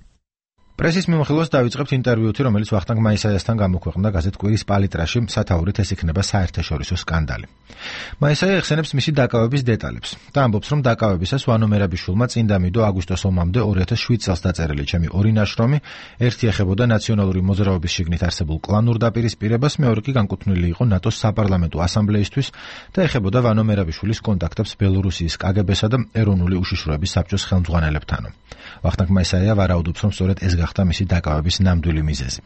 პრესის მიმოხილვას დავიწყებთ ინტერვიუთი, რომელიც ვახტანგ მაისაიასთან გამოქვეყნდა გაზეთ კვირის პალიტრაში, სათაურით ეს იქნება საერთაშორისო სკანდალი. მაისაია ეხსენებს მისი დაკავების დეტალებს და ამბობს, რომ დაკავებისას ვანო მერაბიშვილმა წინდა მიდო აგვისტოს ომამდე ორი ათას შვიდ წელს დაწერილი ჩემი ორი ნაშრომი, ერთი ეხებოდა ნაციონალური მოძრაობის შიგნით არსებულ კლანურ დაპირისპირებას, მეორე კი განკუთვნილი იყო ნატოს საპარლამენტო ასამბლეისთვის და ეხებოდა ვანო მერაბიშვილის კონტაქტებს ბელორუსიის კაგებესა და ეროვნული უშიშროების საბჭოს ხელმძღვანელებთან. ვახტანგ მაისაია ვარაუდობს, რომ სწორედ ეს გახდა მისი დაკავების ნამდვილი მიზეზი.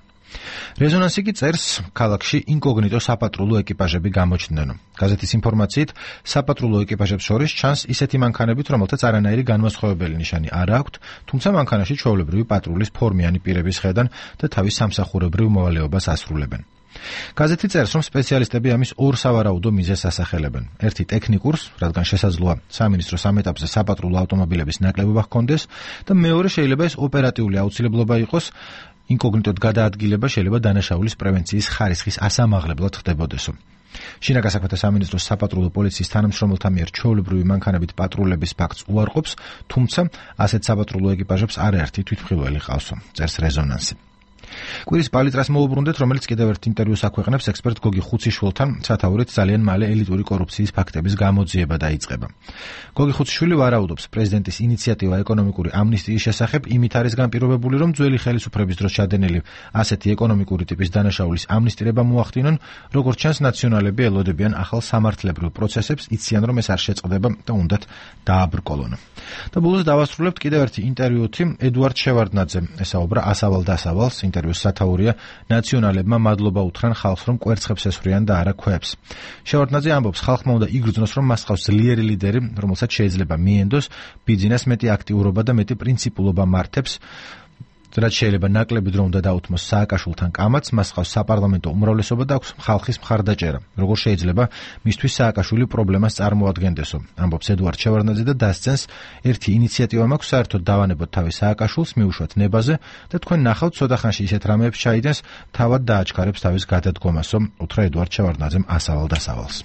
რეზონანსი კი წერს, ქალაქში ინკოგნიტო საპატრულო ეკიპაჟები გამოჩნდნენ. გაზეთის ინფორმაციით, საპატრულო ეკიპაჟებს შორის ჩანს ისეთი მანქანებით, რომელთაც არანაირი განმასხვავებელი ნიშანი არ აქვთ, თუმცა მანქანაში ჩვეულებრივი პატრულის ფორმიანი პირების ხედან და თავის სამსახურებრივ მოვალეობას ასრულებენ. გაზეთი წერს, რომ სპეციალისტები ამის ორ სავარაუდო მიზეზს ასახელებენ. ერთი ტექნიკურს, რადგან შესაძლოა სამინისტროს ამ ეტაპზე საპატრულო ავტომობილების ნაკლებობა ჰქონდეს და მეორე შეიძლება ეს ოპერატიული აუცილებლობა იყოს, ინკოგნიტოდ გადაადგილება შეიძლება დანაშაულის პრევენციის ხარისხის ასამაღლებლად ხდებოდესო. შინაგან საქმეთა სამინისტროს საპატრულო პოლიციის თანამშრომელთა მიერ ჩვეულებრივი მანქანებით პატრულების ფაქტს უარყოფს, თუმცა ასეთ საპატრულო ეკიპაჟებს არაერთი თვითმხილველი ყავსო, წერს რეზონანსი. კვირის პალიტრას მოუბრუნდეთ, რომელიც კიდევ ერთ ინტერვიუს აქვეყნებს ექსპერტ გოგი ხუციშვილთან, სათაურით ძალიან მალე ელიტური კორუფციის ფაქტების გამოძიება დაიწყება. გოგი ხუციშვილი ვარაუდობს, პრეზიდენტის ინიციატივა ეკონომიკური ამნისტიის შესახებ იმით არის განპირობებული, რომ ძველი ხელისუფლების დროს ჩადენილი ასეთი ეკონომიკური ტიპის დანაშაულის ამნისტირება მოახდინონ, როგორც ჩანს ნაციონალები ელოდებიან ახალ სამართლებრივ პროცესებს, იციან, რომ ეს არ შეწყდება და უნდათ დააბრკოლონ. და ბოლოს დავასრულებთ კიდევ ერთი ინტერვიუთი ედუარდ შევარდნაძემ ესაუბრა ასავალ დასავალს საინტერვიოს სათაურია ნაციონალებმა მადლობა უთხრან ხალხს, რომ კვერცხებს ესვრიან და არა ქვებს. შევარდნაძე ამბობს, ხალხმა უნდა იგრძნოს, რომ მას ხავს ძლიერი ლიდერი, რომელსაც შეიძლება მიენდოს ბიძინას მეტი აქტიურობა და მეტი პრინციპულობა მართებს, რაც შეიძლება ნაკლები დრო უნდა დაუთმოს სააკაშვილთან კამათს, მას ხავს საპარლამენტო უმრავლესობა და აქვს ხალხის მხარდაჭერა. როგორ შეიძლება მისთვის სააკაშვილი პრობლემას წარმოადგენდესო, ამბობს ედუარდ შევარდნაძე და დასცენს, ერთი ინიციატივა მაქვს, საერთოდ დავანებოთ თავი სააკაშვილს, მიუშვათ ნებაზე და თქვენ ნახავთ, ცოტა ხანში ისეთ რამეებს ჩაიდენს, თავად დააჩქარებს თავის გადადგომასო, უთხრა ედუარდ შევარდნაძემ ასავალ-დასავალს.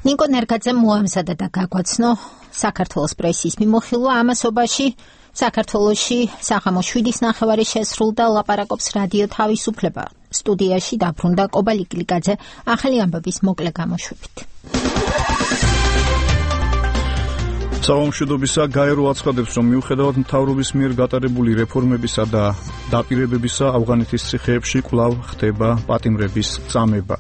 ნიკო ნერგაძემ მოამზადა და გაგვაცნო საქართველოს პრესის მიმოხილვა ამასობაში. საქართველოში საღამო შვიდის ნახევარი შესრულდა, ლაპარაკობს რადიო თავისუფლება. სტუდიაში დაბრუნდა კობა ლიკლიკაძე ახალი ამბების მოკლე გამოშვებით. საღამოშვიდობისა გაერო აცხადებს, რომ მიუხედავად მთავრობის მიერ გატარებული რეფორმებისა და დაპირებებისა, ავღანეთის ციხეებში კვლავ ხდება პატიმრების წამება.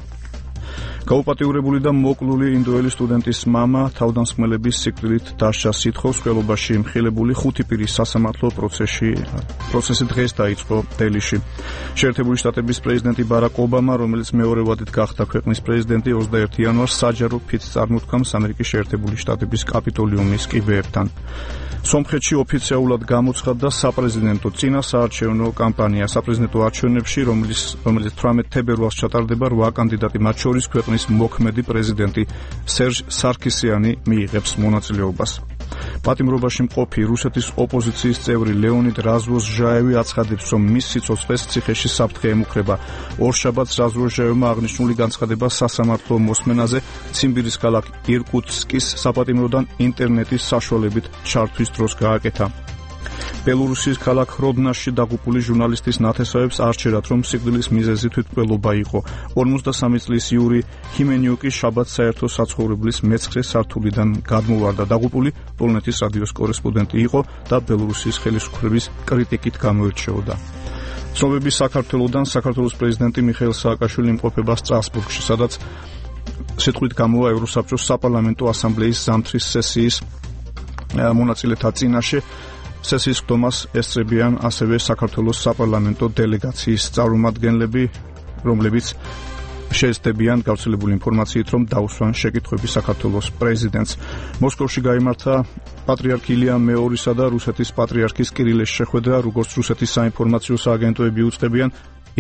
გაუპატიურებული და მოკლული ინდოელი სტუდენტის მამა თავდამსხმელების სიკვდილით დასჯას სითხოვს. ხელობაში მხილებული ხუთი პირის სასამართლო პროცესი პროცესი დღეს დაიწყო დელიში. შეერთებული შტატების პრეზიდენტი ბარაკ ობამა, რომელიც მეორე ვადით გახდა ქვეყნის პრეზიდენტი, ოცდაერთი იანვარს საჯარო ფიცს წარმოთქვამს ამერიკის შეერთებული შტატების კაპიტოლიუმის კიბეებთან. სომხეთში ოფიციალურად გამოცხადდა საპრეზიდენტო წინასაარჩევნო კამპანია. საპრეზიდენტო არჩევნებში, რომელიც რომელიც თვრამეტ თებერვალს ჩატარდება, რვა კანდიდატი, მათ შორის ქვეყნის მოქმედი პრეზიდენტი სერჟ სარქისიანი მიიღებს მონაწილეობას. პატიმრობაში მყოფი რუსეთის ოპოზიციის წევრი ლეონიდ რაზვოზჟაევი აცხადებს, რომ მის სიცოცხლეს ციხეში საფრთხე ემუქრება. ორშაბათს რაზვოზჟაევმა აღნიშნული განცხადება სასამართლო მოსმენაზე ციმბირის ქალაქ ირკუტსკის საპატიმროდან ინტერნეტის საშუალებით ჩართვის დროს გააკეთა. ბელორუსის ქალაქ როდნაში დაღუპული ჟურნალისტის ნათესავებს არჩერათ, რომ სიკვდილის მიზეზი თვითმკვლელობა იყო. ორმოცდასამი წლის იური ჰიმენიუკი შაბათს საერთო საცხოვრებლის მეცხრე სართულიდან გადმოვარდა. დაღუპული პოლონეთის რადიოს კორესპონდენტი იყო და ბელორუსის ხელისუფლების კრიტიკით გამოირჩეოდა. ცნობები საქართველოდან. საქართველოს პრეზიდენტი მიხეილ სააკაშვილი იმყოფება სტრასბურგში, სადაც სიტყვით გამოვა ევროსაბჭოს საპარლამენტო ასამბლეის ზამთრის სესიის მონაწილეთა წინაშე. სესიის ხდომას ესწრებიან ასევე საქართველოს საპარლამენტო დელეგაციის წარმომადგენლები, რომლებიც შეეცდებიან გავრცელებული ინფორმაციით, რომ დაუსვან შეკითხვები საქართველოს პრეზიდენტს. მოსკოვში გაიმართა პატრიარქ ილია მეორისა და რუსეთის პატრიარქის კირილეს შეხვედრა, როგორც რუსეთის საინფორმაციო სააგენტოები უწყებიან.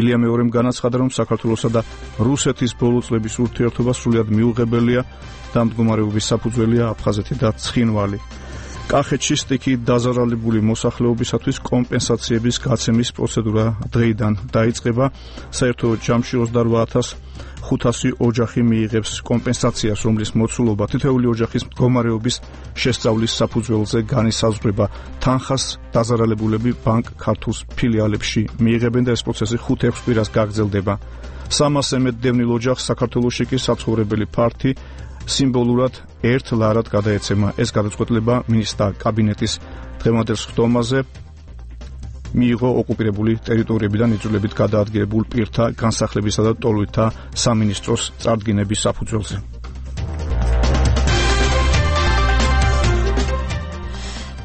ილია მეორემ განაცხადა, რომ საქართველოსა და რუსეთის ბოლო წლების ურთიერთობა სრულიად მიუღებელია და მდგომარეობის საფუძველია აფხაზეთი და ცხინვალი. კახეთში სტიქით დაზარალებული მოსახლეობისათვის კომპენსაციების გაცემის პროცედურა დღეიდან დაიწყება. საერთო ჯამში ოცდარვა ათას ხუთასი ოჯახი მიიღებს კომპენსაციას, რომლის მოცულობა თითოეული ოჯახის მდგომარეობის შესწავლის საფუძველზე განისაზღვრება. თანხას დაზარალებულები ბანკ ქართულს ფილიალებში მიიღებენ და ეს პროცესი ხუთ-ექვს კვირას გაგრძელდება. სამასზე მეტ დევნილ ოჯახს საქართველოში კი საცხოვრებელი ფართი სიმბოლურად ერთ ლარად გადაეცემა. ეს გადაწყვეტილება მინისტრთა კაბინეტის დღევანდელ ხდომაზე მიიღო ოკუპირებული ტერიტორიებიდან იძულებით გადაადგილებულ პირთა განსახლებისა და ტოლოთა სამინისტროს წარდგინების საფუძველზე.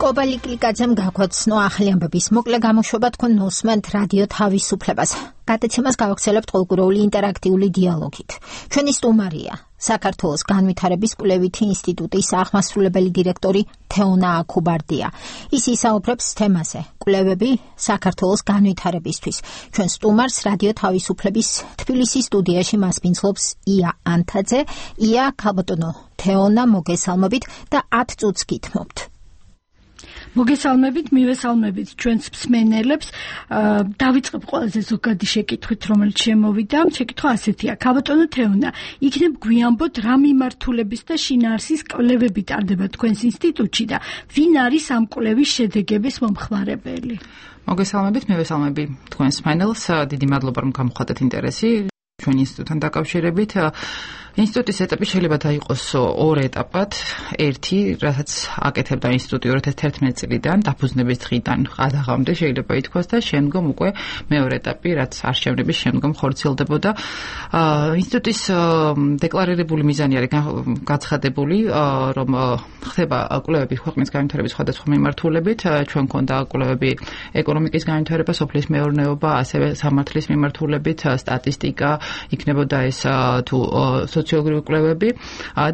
კობა ლიკლიკაძემ გაგვაცნო ახალი ამბების მოკლე გამოშვება. თქვენ მოსმენთ რადიო თავისუფლებას. გადაცემას გავაგრძელებთ ყოველკვირეული ინტერაქტიული დიალოგით. ჩვენი სტუმარია საქართველოს განვითარების კვლევითი ინსტიტუტის აღმასრულებელი დირექტორი თეონა აქუბარდია. ის ისაუბრებს თემაზე კვლევები საქართველოს განვითარებისთვის. ჩვენ სტუმარს რადიო თავისუფლების თბილისის სტუდიაში მასპინძლობს ია ანთაძე. ია, ქალბატონო თეონა, მოგესალმებით და ათ წუთს გითმობთ. მოგესალმებით, მივესალმებით ჩვენს მსმენელებს. დავიწყებ ყველაზე ზოგადი შეკითხვით, რომელიც შემოვიდა. შეკითხვა ასეთია: ქალბატონო თეონა, იქნებ გვიანბოთ რა მიმართულების და შინაარსის კვლევები ტარდება თქვენს ინსტიტუტში და ვინ არის ამ კვლევის შედეგების მომხმარებელი? მოგესალმებით, მივესალმები თქვენს მსმენელს. დიდი მადლობა, რომ გამოხატეთ ინტერესი ჩვენი ინსტიტუტთან დაკავშირებით. ინსტიტუტის ეტაპი შეიძლება დაიყოს ორ ეტაპად. ერთი, რასაც აკეთებდა ინსტიტუტი ორი ათას ერთმანეტი წლიდან, დაფუძნების დღიდან ყადაღამდე შეიძლება ითქვას და შემდგომ უკვე მეორე ეტაპი, რაც არჩევნების შემდგომ ხორციელდებოდა. ინსტიტუტის დეკლარირებული მიზანი არის გაცხადებული, რომ ხდება კვლევები ქვეყნის განვითარების სხვადასხვა მიმართულებით. ჩვენ გვქონდა კვლევები ეკონომიკის განვითარება, სოფლის მეურნეობა, ასევე სამართლის მიმართულებით, სტატისტიკა, იქნებოდა ეს თუ სოციოლოგიური კვლევები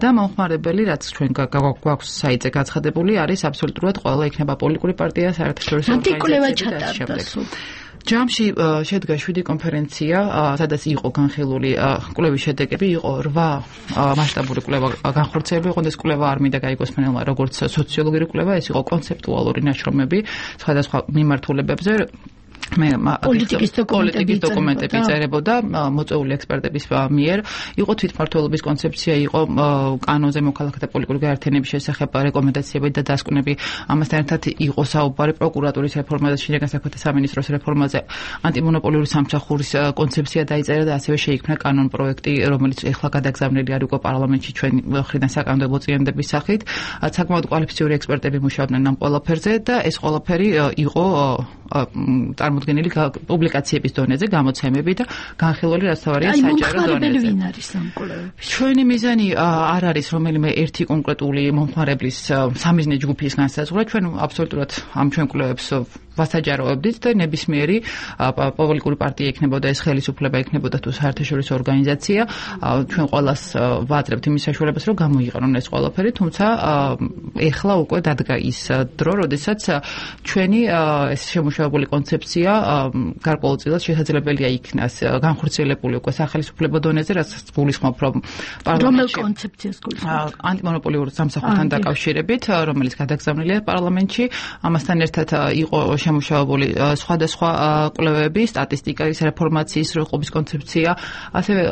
და მომხმარებელი, რაც ჩვენ გვაქვს საიტზე გაცხადებული, არის აბსოლუტურად ყველა, იქნება პოლიტიკური პარტია, საერთაშორისო ორგანიზაციები და შემდეგ. ჯამში შედგა შვიდი კონფერენცია, სადაც იყო განხილული კვლევის შედეგები, იყო რვა მასშტაბური კვლევა განხორციელებული, ოღონდ ეს კვლევა არ მინდა გაიგოს მენელმა, როგორც სოციოლოგიური კვლევა, ეს იყო კონცეპტუალური ნაშრომები სხვადასხვა მიმართულებებზე. მე პოლიტიკის დოკუმენტები წერებოდა მოწვეული ექსპერტების მიერ, იყო თვითმმართველობის კონცეფცია, იყო კანონზე მოქალაქეთა პოლიტიკური გაერთიანების შესახებ რეკომენდაციები და დასკვნები, ამასთან ერთად იყო საუბარი პროკურატურის რეფორმაზე, შინაგან საქმეთა სამინისტროს რეფორმაზე, ანტიმონოპოლიური სამსახურის კონცეფცია დაიწერა და ასევე შეიქმნა კანონ პროექტი, რომელიც ეხლა გადაგზავნილი არის უკვე პარლამენტში ჩვენ მხრიდან საკანონმდებლო წინადების სახით. საკმაოდ კვალიფიციური ექსპერტები მუშაობდნენ ამ ყველაფერზე და ეს ყველაფერი იყო წარმოდგენილი პუბლიკაციების დონეზე, გამოცემები და განხილველი რასთავარია საჯარო დონეზე. ვინ არის ამ კვლევებში? ჩვენი მიზანი არ არის რომელიმე ერთი კონკრეტული მომხმარებლის სამიზნე ჯგუფის განსაზღვრა, ჩვენ აბსოლუტურად ამ ჩვენ კვლევებს ვასაჯაროებდით და ნებისმიერი პოლიტიკური პარტია იქნებოდა, ეს ხელისუფლება იქნებოდა თუ საერთაშორისო ორგანიზაცია, ჩვენ ყველას ვაძლევთ იმის საშუალებას, რომ გამოიყენონ ეს ყველაფერი, თუმცა ეხლა უკვე დადგა ის დრო, როდესაც ჩვენი ეს შემუშავებული კონცეფცია გარკვეულწილად შესაძლებელია იქნას განხორციელებული უკვე სახელმწიფო დონეზე, რაც გულისხმობ, რომ რომელ კონცეფციას გულისხმობ? ანტიმონოპოლიური სამსახურთან დაკავშირებით, რომელიც გადაგზავნილია პარლამენტში, ამასთან ერთად იყო შემუშავებული სხვადასხვა კვლევები, სტატისტიკის რეფორმაციის როყობის კონცეფცია, ასევე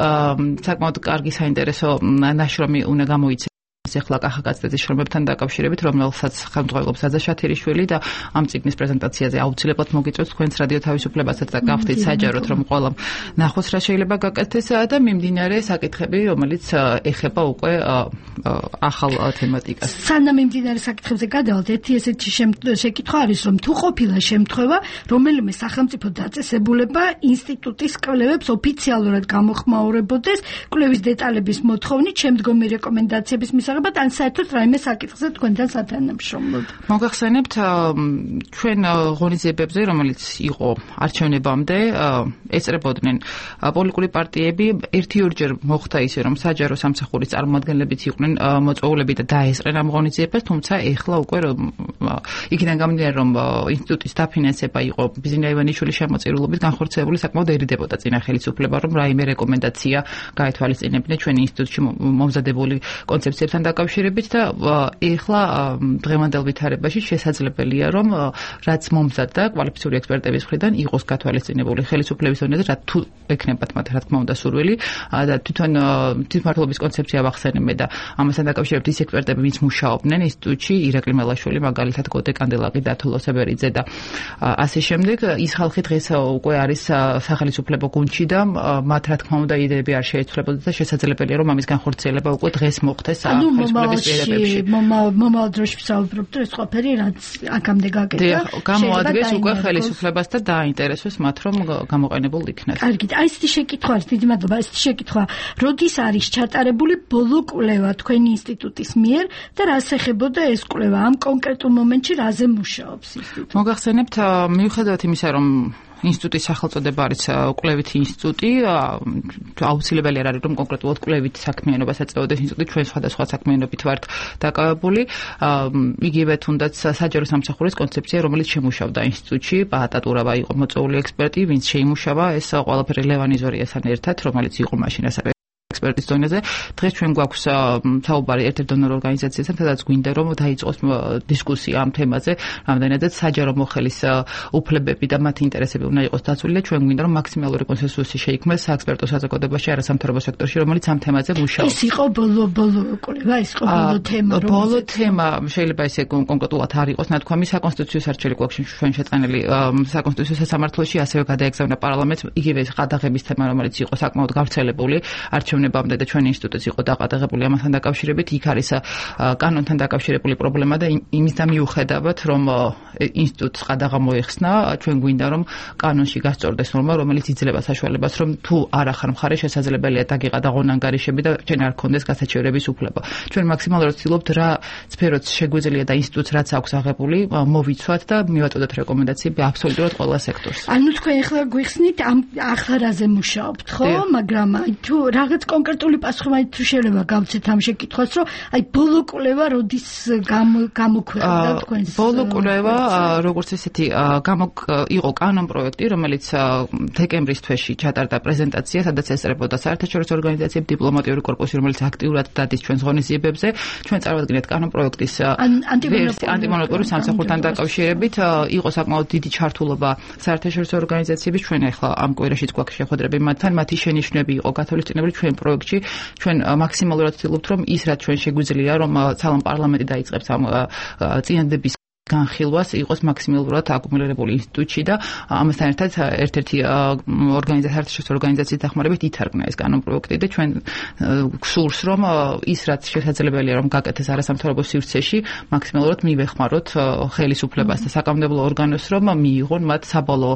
საკმაოდ კარგი საინტერესო ნაშრომი უნდა გამოიცე ეხლა კახაკაცეთის შრომებთან დაკავშირებით, რომელსაც ხელმძღვანელობს აზა შათირიშვილი და ამ წიგნის პრეზენტაციაზე აუცილებლად მოგიწევთ თქვენს რადიო თავისუფლებასაც და გავხდით საჯაროდ, რომ ყველა ნახოს რა შეიძლება გაკეთდეს და მიმდინარე საკითხები, რომელიც ეხება უკვე ახალ თემატიკას. სანამ მიმდინარე საკითხებზე გადავალთ, ერთი ესეთი შეკითხვა არის, რომ თუ ყოფილა შემთხვევა, რომელიმე სახელმწიფო დაწესებულება ინსტიტუტის კვლევებს ოფიციალურად გამოხმაურებოდეს, კვლევის დეტალების მოთხოვნით, შემდგომი რეკომენდაციების მისაღებად, ან საერთოდ რაიმე საკითხზე თქვენთან სათანამშრომლოდ. მოგახსენებთ ჩვენ ღონისძიებებზე, რომელიც იყო არჩევნებამდე, ეწრებოდნენ პოლიტიკური პარტიები, ერთი-ორჯერ მოხდა ისე, რომ საჯარო სამსახურის წარმომადგენლებიც იყვნენ მოწვეულები და დაესწრნენ ამ ღონისძიებას, თუმცა ეხლა უკვე იქიდან გამომდინარე, რომ ინსტიტუტის დაფინანსება იყო ბიზნია ივანიშვილის შემოწირულობით განხორციელებული, საკმაოდერიდებოდა წინა ხელისუფლება, რომ რაიმე რეკომენდაცია გაეთვალისწინებინა ჩვენი ინსტიტუტში მომზადებული კონცეფციებთან დაკავშირებით და ეხლა დღევანდელ ვითარებაში შესაძლებელია, რომ რაც მომზადდა კვალიფიციური ექსპერტების მხრიდან იყოს გათვალისწინებული ხელისუფლების დონეზე, რა თუ ექნებათ მათ რა თქმა უნდა სურვილი და თვითონ თვითმმართველობის კონცეფცია ვახსენე და ამასთან დაკავშირებით ის ექსპერტები, ვინც მუშაობდნენ ინსტიტუტში, ირაკლი მელაშვილი, მაგალითად გოდე კანდელაკი და ათოლო სებერიძე და ასე შემდეგ, ის ხალხი დღეს უკვე არის სახელმწიფო გუნდში და მათ რა თქმა უნდა იდეები არ შეეცვლებოდა და შესაძლებელია, რომ ამის განხორციელება უკვე დღეს მოხდეს ხელისუფლების პირებებში. მომავალ დროში ვსაუბრობთ, ეს ყველაფერი რაც აქამდე გაკეთდა, გამოადგეს უკვე ხელისუფლებას და დააინტერესოს მათ, რომ გამოყენებულ იქნას. კარგით, აი ესეთი შეკითხვა არის, დიდი მადლობა, ესეთი შეკითხვა, როდის არის ჩატარებული ბოლო კვლევა თქვენი ინსტიტუტის მიერ და რას ეხებოდა ეს კვლევა ამ კონკრეტულ მომენტში, რაზე მუშაობს ინსტიტუტი? მოგახსენებთ, მიუხედავად იმისა, რომ ინსტიტუტის სახელწოდება არის კვლევითი ინსტიტუტი, აუცილებელი არ არის, რომ კონკრეტულად კვლევით საქმიანობას ეწეოდეს ინსტიტუტი, ჩვენ სხვადასხვა საქმიანობით ვართ დაკავებული, იგივე თუნდაც საჯარო სამსახურის კონცეფცია, რომელიც შემუშავდა ინსტიტუტში, პაატატურავა იყო მოწვეული ექსპერტი, ვინც შეიმუშავა ეს ყველაფერი ლევან იზორიასთან ერთად, რომელიც იყო მაშინ ასევე ექსპერტის დონეზე. დღეს ჩვენ გვაქვს საუბარი ერთ-ერთ დონორ ორგანიზაციასთან, სადაც გვინდა რომ დაიწყოს დისკუსია ამ თემაზე, რამდენადაც საჯარო მოხელის უფლებები და მათი ინტერესები უნდა იყოს დაცული და ჩვენ გვინდა რომ მაქსიმალური კონსენსუსი შეიქმნას საექსპერტო საზოგადოებაში, არასამთავრობო სექტორში, რომელიც ამ თემაზე მუშაობს. ეს იყო ბოლო ბოლო კვლევა, ეს იყო ბოლო თემა, რომ ბოლო თემა შეიძლება ისე კონკრეტულად არ იყოს ნათქვამი, საკონსტიტუციო არჩეული გვაქვს ჩვენ შეწყენილი საკონსტიტუციო სასამართლოში, ასევე გადაეგზავნა პარლამენტს იგივე ყადაღების თემა, რომელიც იყო საკმაოდ გავრცელებული არჩევნების არჩევნებამდე და ჩვენი ინსტიტუტიც იყო დაყადაღებული ამასთან დაკავშირებით, იქ არის კანონთან დაკავშირებული პრობლემა და იმისთან მიუხედავად, რომ ინსტიტუტს ყადაღა მოეხსნა, ჩვენ გვინდა რომ კანონში გასწორდეს ნორმა, რომელიც იძლევა საშუალებას, რომ თუ არ ახარ მხარე შესაძლებელია დაგიყადაღონ ანგარიშები და ჩვენ არ გქონდეს გასაჩივრების უფლება. ჩვენ მაქსიმალურად ვცდილობთ რა სფეროც შეგვიძლია და ინსტიტუტს რაც აქვს აღებული, მოვიცვათ და მივაწოდოთ რეკომენდაციები აბსოლუტურად ყველა სექტორს. ანუ თქვენ ახლა გვიხსნით ამ ახლარაზე მუშაობთ, ხო? მაგრამ აი თუ რაღაც კონკრეტული პასუხი მაინც თუ შეიძლება გავცეთ ამ შეკითხვას, რომ აი ბოლო კვლევა როდის გამოქვეყნდა თქვენს? ბოლო კვლევა როგორც ესეთი იყო კანონ პროექტი, რომელიც დეკემბრის თვეში ჩატარდა პრეზენტაცია, სადაც ესწრებოდა საერთაშორისო ორგანიზაციები, დიპლომატიური კორპუსი, რომელიც აქტიურად დადის ჩვენს ღონისძიებებზე. ჩვენ წარვადგინეთ კანონ პროექტის ანტიმონოპოლური სამსახურთან დაკავშირებით, იყო საკმაოდ დიდი ჩართულობა საერთაშორისო ორგანიზაციების. ჩვენ ახლა ამ კვირაშიც გვაქვს შეხვედრები მათთან, მათი შენიშვნები იყო გათვალისწინებული ჩვენ პროექტში. ჩვენ მაქსიმალურად ვცდილობთ, რომ ის რაც ჩვენ შეგვიძლია, რომ ცალკე პარლამენტი დაიწყებს ამ წინადადების განხილვას იყოს მაქსიმალურად აკუმულირებული ინსტიტუტში და ამასთან ერთად ერთ-ერთი ორგანიზაციის ორგანიზაციის დახმარებით ითარგმნა ეს კანონ პროექტი და ჩვენ გსურს რომ ის რაც შესაძლებელია რომ გაკეთდეს არასამთავრობო სივრცეში მაქსიმალურად მივეხმაროთ ხელისუფლებას და საკანონმდებლო ორგანოს რომ მიიღონ მათ საბოლოო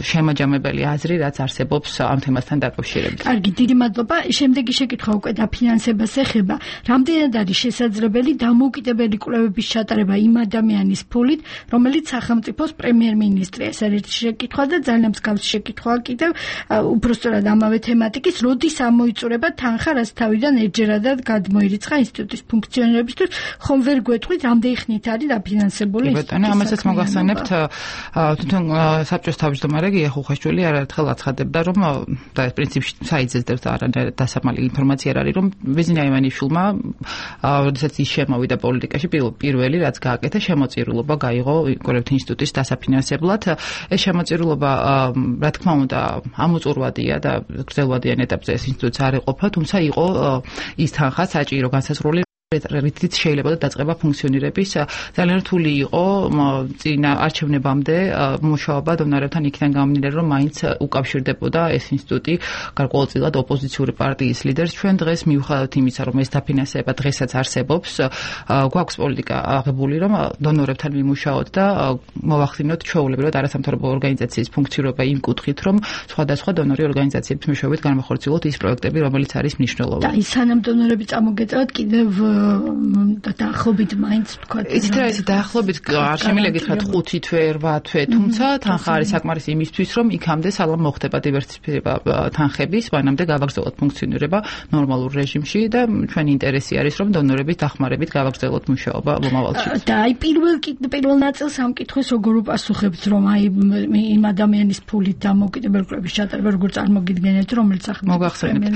შემაჯამებელი აზრი რაც არსებობს ამ თემასთან დაკავშირებით. კარგი, დიდი მადლობა. შემდეგი შეკითხვა უკვე დაფინანსებას ეხება. რამდენად არის შესაძლებელი დამოუკიდებელი კვლევების ჩატარება იმ ადამიანის ფულით, რომელიც სახელმწიფოს პრემიერ-მინისტრია. ეს არის შეკითხვა და ძალიან მსგავსი შეკითხვა კიდევ უბრალოდ ამავე თემატიკის, როდის ამოიწურება თანხა, რაც თავიდან ერთჯერადად გადმოირიცხა ინსტიტუტის ფუნქციონირებისთვის, ხომ ვერ გვეტყვით, რამდენი ხნით არის დაფინანსებული ინსტიტუტი? ბატონო, ამასაც მოგახსენებთ, თვითონ საბჭოს თავმჯდომარე გია ხუხაშვილი არაერთხელ აცხადებდა, რომ და პრინციპში საიძესდებს არანაირად დასამალი ინფორმაცია არ არის, რომ ბიზნეს აივანიშვილმა, როდესაც ის შემოვიდა პოლიტიკაში, პირველი რაც გააკეთა, შემოწირულობა გაიღო კოლექტივ ინსტიტუტის დასაფინანსებლად. ეს შემოწირულობა, რა თქმა უნდა, ამოწურვადია და გრძელვადიან ეტაპზე ეს ინსტიტუტს არ ეყოფა, თუმცა იყო ის თანხა საჭირო განსაზღვრული რითიც შეიძლება დაწყება ფუნქციონირების. ძალიან რთული იყო წინა არჩევნებამდე მუშაობა დონორებთან იქიდან გამომდინარე, რომ მაინც უკავშირდებოდა ეს ინსტიტუტი გარკვეულწილად ოპოზიციური პარტიის ლიდერს. ჩვენ დღეს მიუხედავად იმისა, რომ ეს დაფინანსება დღესაც არსებობს, გვაქვს პოლიტიკა აღებული, რომ დონორებთან ვიმუშაოთ და მოვახდინოთ ჩვეულებრივად არასამთავრობო ორგანიზაციის ფუნქციონირება იმ კუთხით, რომ სხვადასხვა დონორი ორგანიზაციების მეშვეობით განვახორციელოთ ის პროექტები, რომელიც არის მნიშვნელოვანი. და ის სანამ დონორები წამოგეწევათ კიდევ და დაახლოებით მაინც თქვა ის რა ის დაახლოებით არ შემიძლია გითხრათ ხუთი თვე, რვა თვე, თუმცა თანხა არის საკმარისი იმისთვის, რომ იქამდე სალამ მოხდება დივერსიფიცირება თანხების, მანამდე გავაგრძელოთ ფუნქციონირება ნორმალურ რეჟიმში და ჩვენი ინტერესი არის, რომ დონორების დახმარებით გავაგრძელოთ მუშაობა მომავალში. და აი პირველ პირველ ნაწილს ამ კითხვის როგორ უპასუხებთ, რომ აი იმ ადამიანის ფულით დამოუკიდებელი კვლევის ჩატარება როგორ წარმოგიდგენთ, რომელიც ახლა მოგახსენებთ.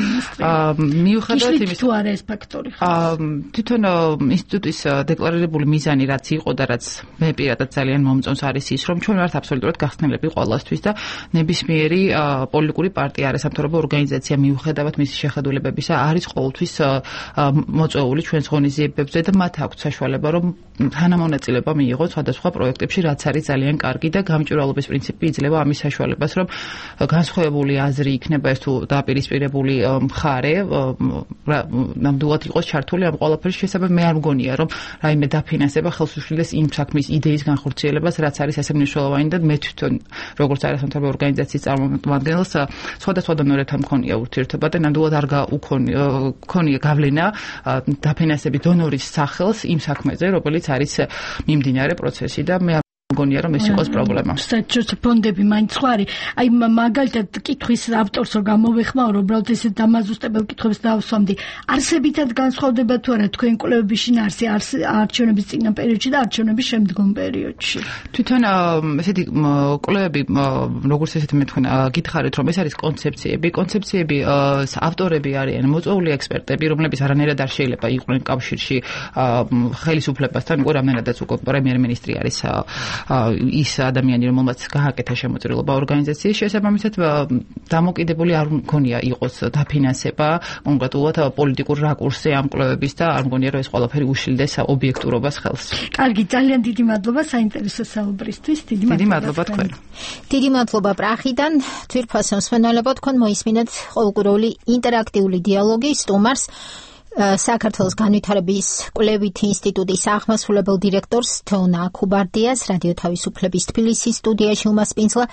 მიუხედავად იმის თუ არა ეს ფაქტორი. თვითონ ინსტიტუტის დეკლარირებული მიზანი რაც იყო და რაც მე პირადად ძალიან მომწონს არის ის, რომ ჩვენ ვართ აბსოლუტურად გახსნილები ყველასთვის და ნებისმიერი პოლიტიკური პარტია, არასამთავრობო ორგანიზაცია მიუხედავად მისი შეხედულებებისა არის ყოველთვის მოწვეული ჩვენს ღონისძიებებზე და მათ აქვთ საშუალება, რომ თანამონაწილეობა მიიღონ სხვადასხვა პროექტებში, რაც არის ძალიან კარგი და გამჭვირვალობის პრინციპი იძლევა ამის საშუალებას, რომ განსხვავებული აზრი იქნება ეს თუ დაპირისპირებული მხარე, ნამდვილად იყოს ჩართული ამ ყველაფერში. შესაძლოა მე არ მგონია, რომ რაიმე დაფინანსება ხელს უშლის იმ საქმის იდეის განხორციელებას, რაც არის ასე მნიშვნელოვანი და მე თვითონ როგორც არასამთავრობო ორგანიზაციის წარმომადგენელს სხვადასხვა დონორებთან მქონია ურთიერთობა და ნამდვილად არ გქონია გავლენა დაფინანსების დონორის სახელს იმ საქმეზე, რომელიც არის მიმდინარე პროცესი და მე მგონია რომ ეს იყოს პრობლემა. საერთოდ ფონდები მაინც ხო არის. აი მაგალითად კითხვის ავტორს რომ გამოვეხმაურო, უბრალოდ ესე დამაზუსტებელ კითხვებს დავსვამდი. არსებითად განსხვავდება თუ არა თქვენ კვლევების შინაარსი არჩევნების წინა პერიოდში და არჩევნების შემდგომ პერიოდში? თვითონ ესეთი კვლევები, როგორც ესეთი მე თქვენ გითხარით, რომ ეს არის კონცეფციები, კონცეფციები ავტორები არიან მოწვეული ექსპერტები, რომლებიც არანაირად არ შეიძლება იყვნენ კავშირში ხელისუფლებასთან, უკვე რამდენადაც უკვე პრემიერ-მინისტრი არის ის ადამიანი, რომელმაც გააკეთა შემოწირულობა ორგანიზაციის, შესაბამისად დამოკიდებული არ მგონია იყოს დაფინანსება კონკრეტულად პოლიტიკურ რაკურსზე ამ კვლევების და არ მგონია რომ ეს ყველაფერი უშილდეს ობიექტურობას ხელს. კარგი, ძალიან დიდი მადლობა საინტერესო საუბრისთვის. დიდი მადლობა თქვენ. დიდი მადლობა პრახიდან. თვირფასო მსმენელებო, თქვენ მოისმინეთ ყოველკვირეული ინტერაქტიული დიალოგი სტუმარს საქართველოს განვითარების კვლევითი ინსტიტუტის აღმასრულებელ დირექტორს თეონა ქუბარდიას, რადიო თავისუფლების თბილისის სტუდიაში უმასპინძლა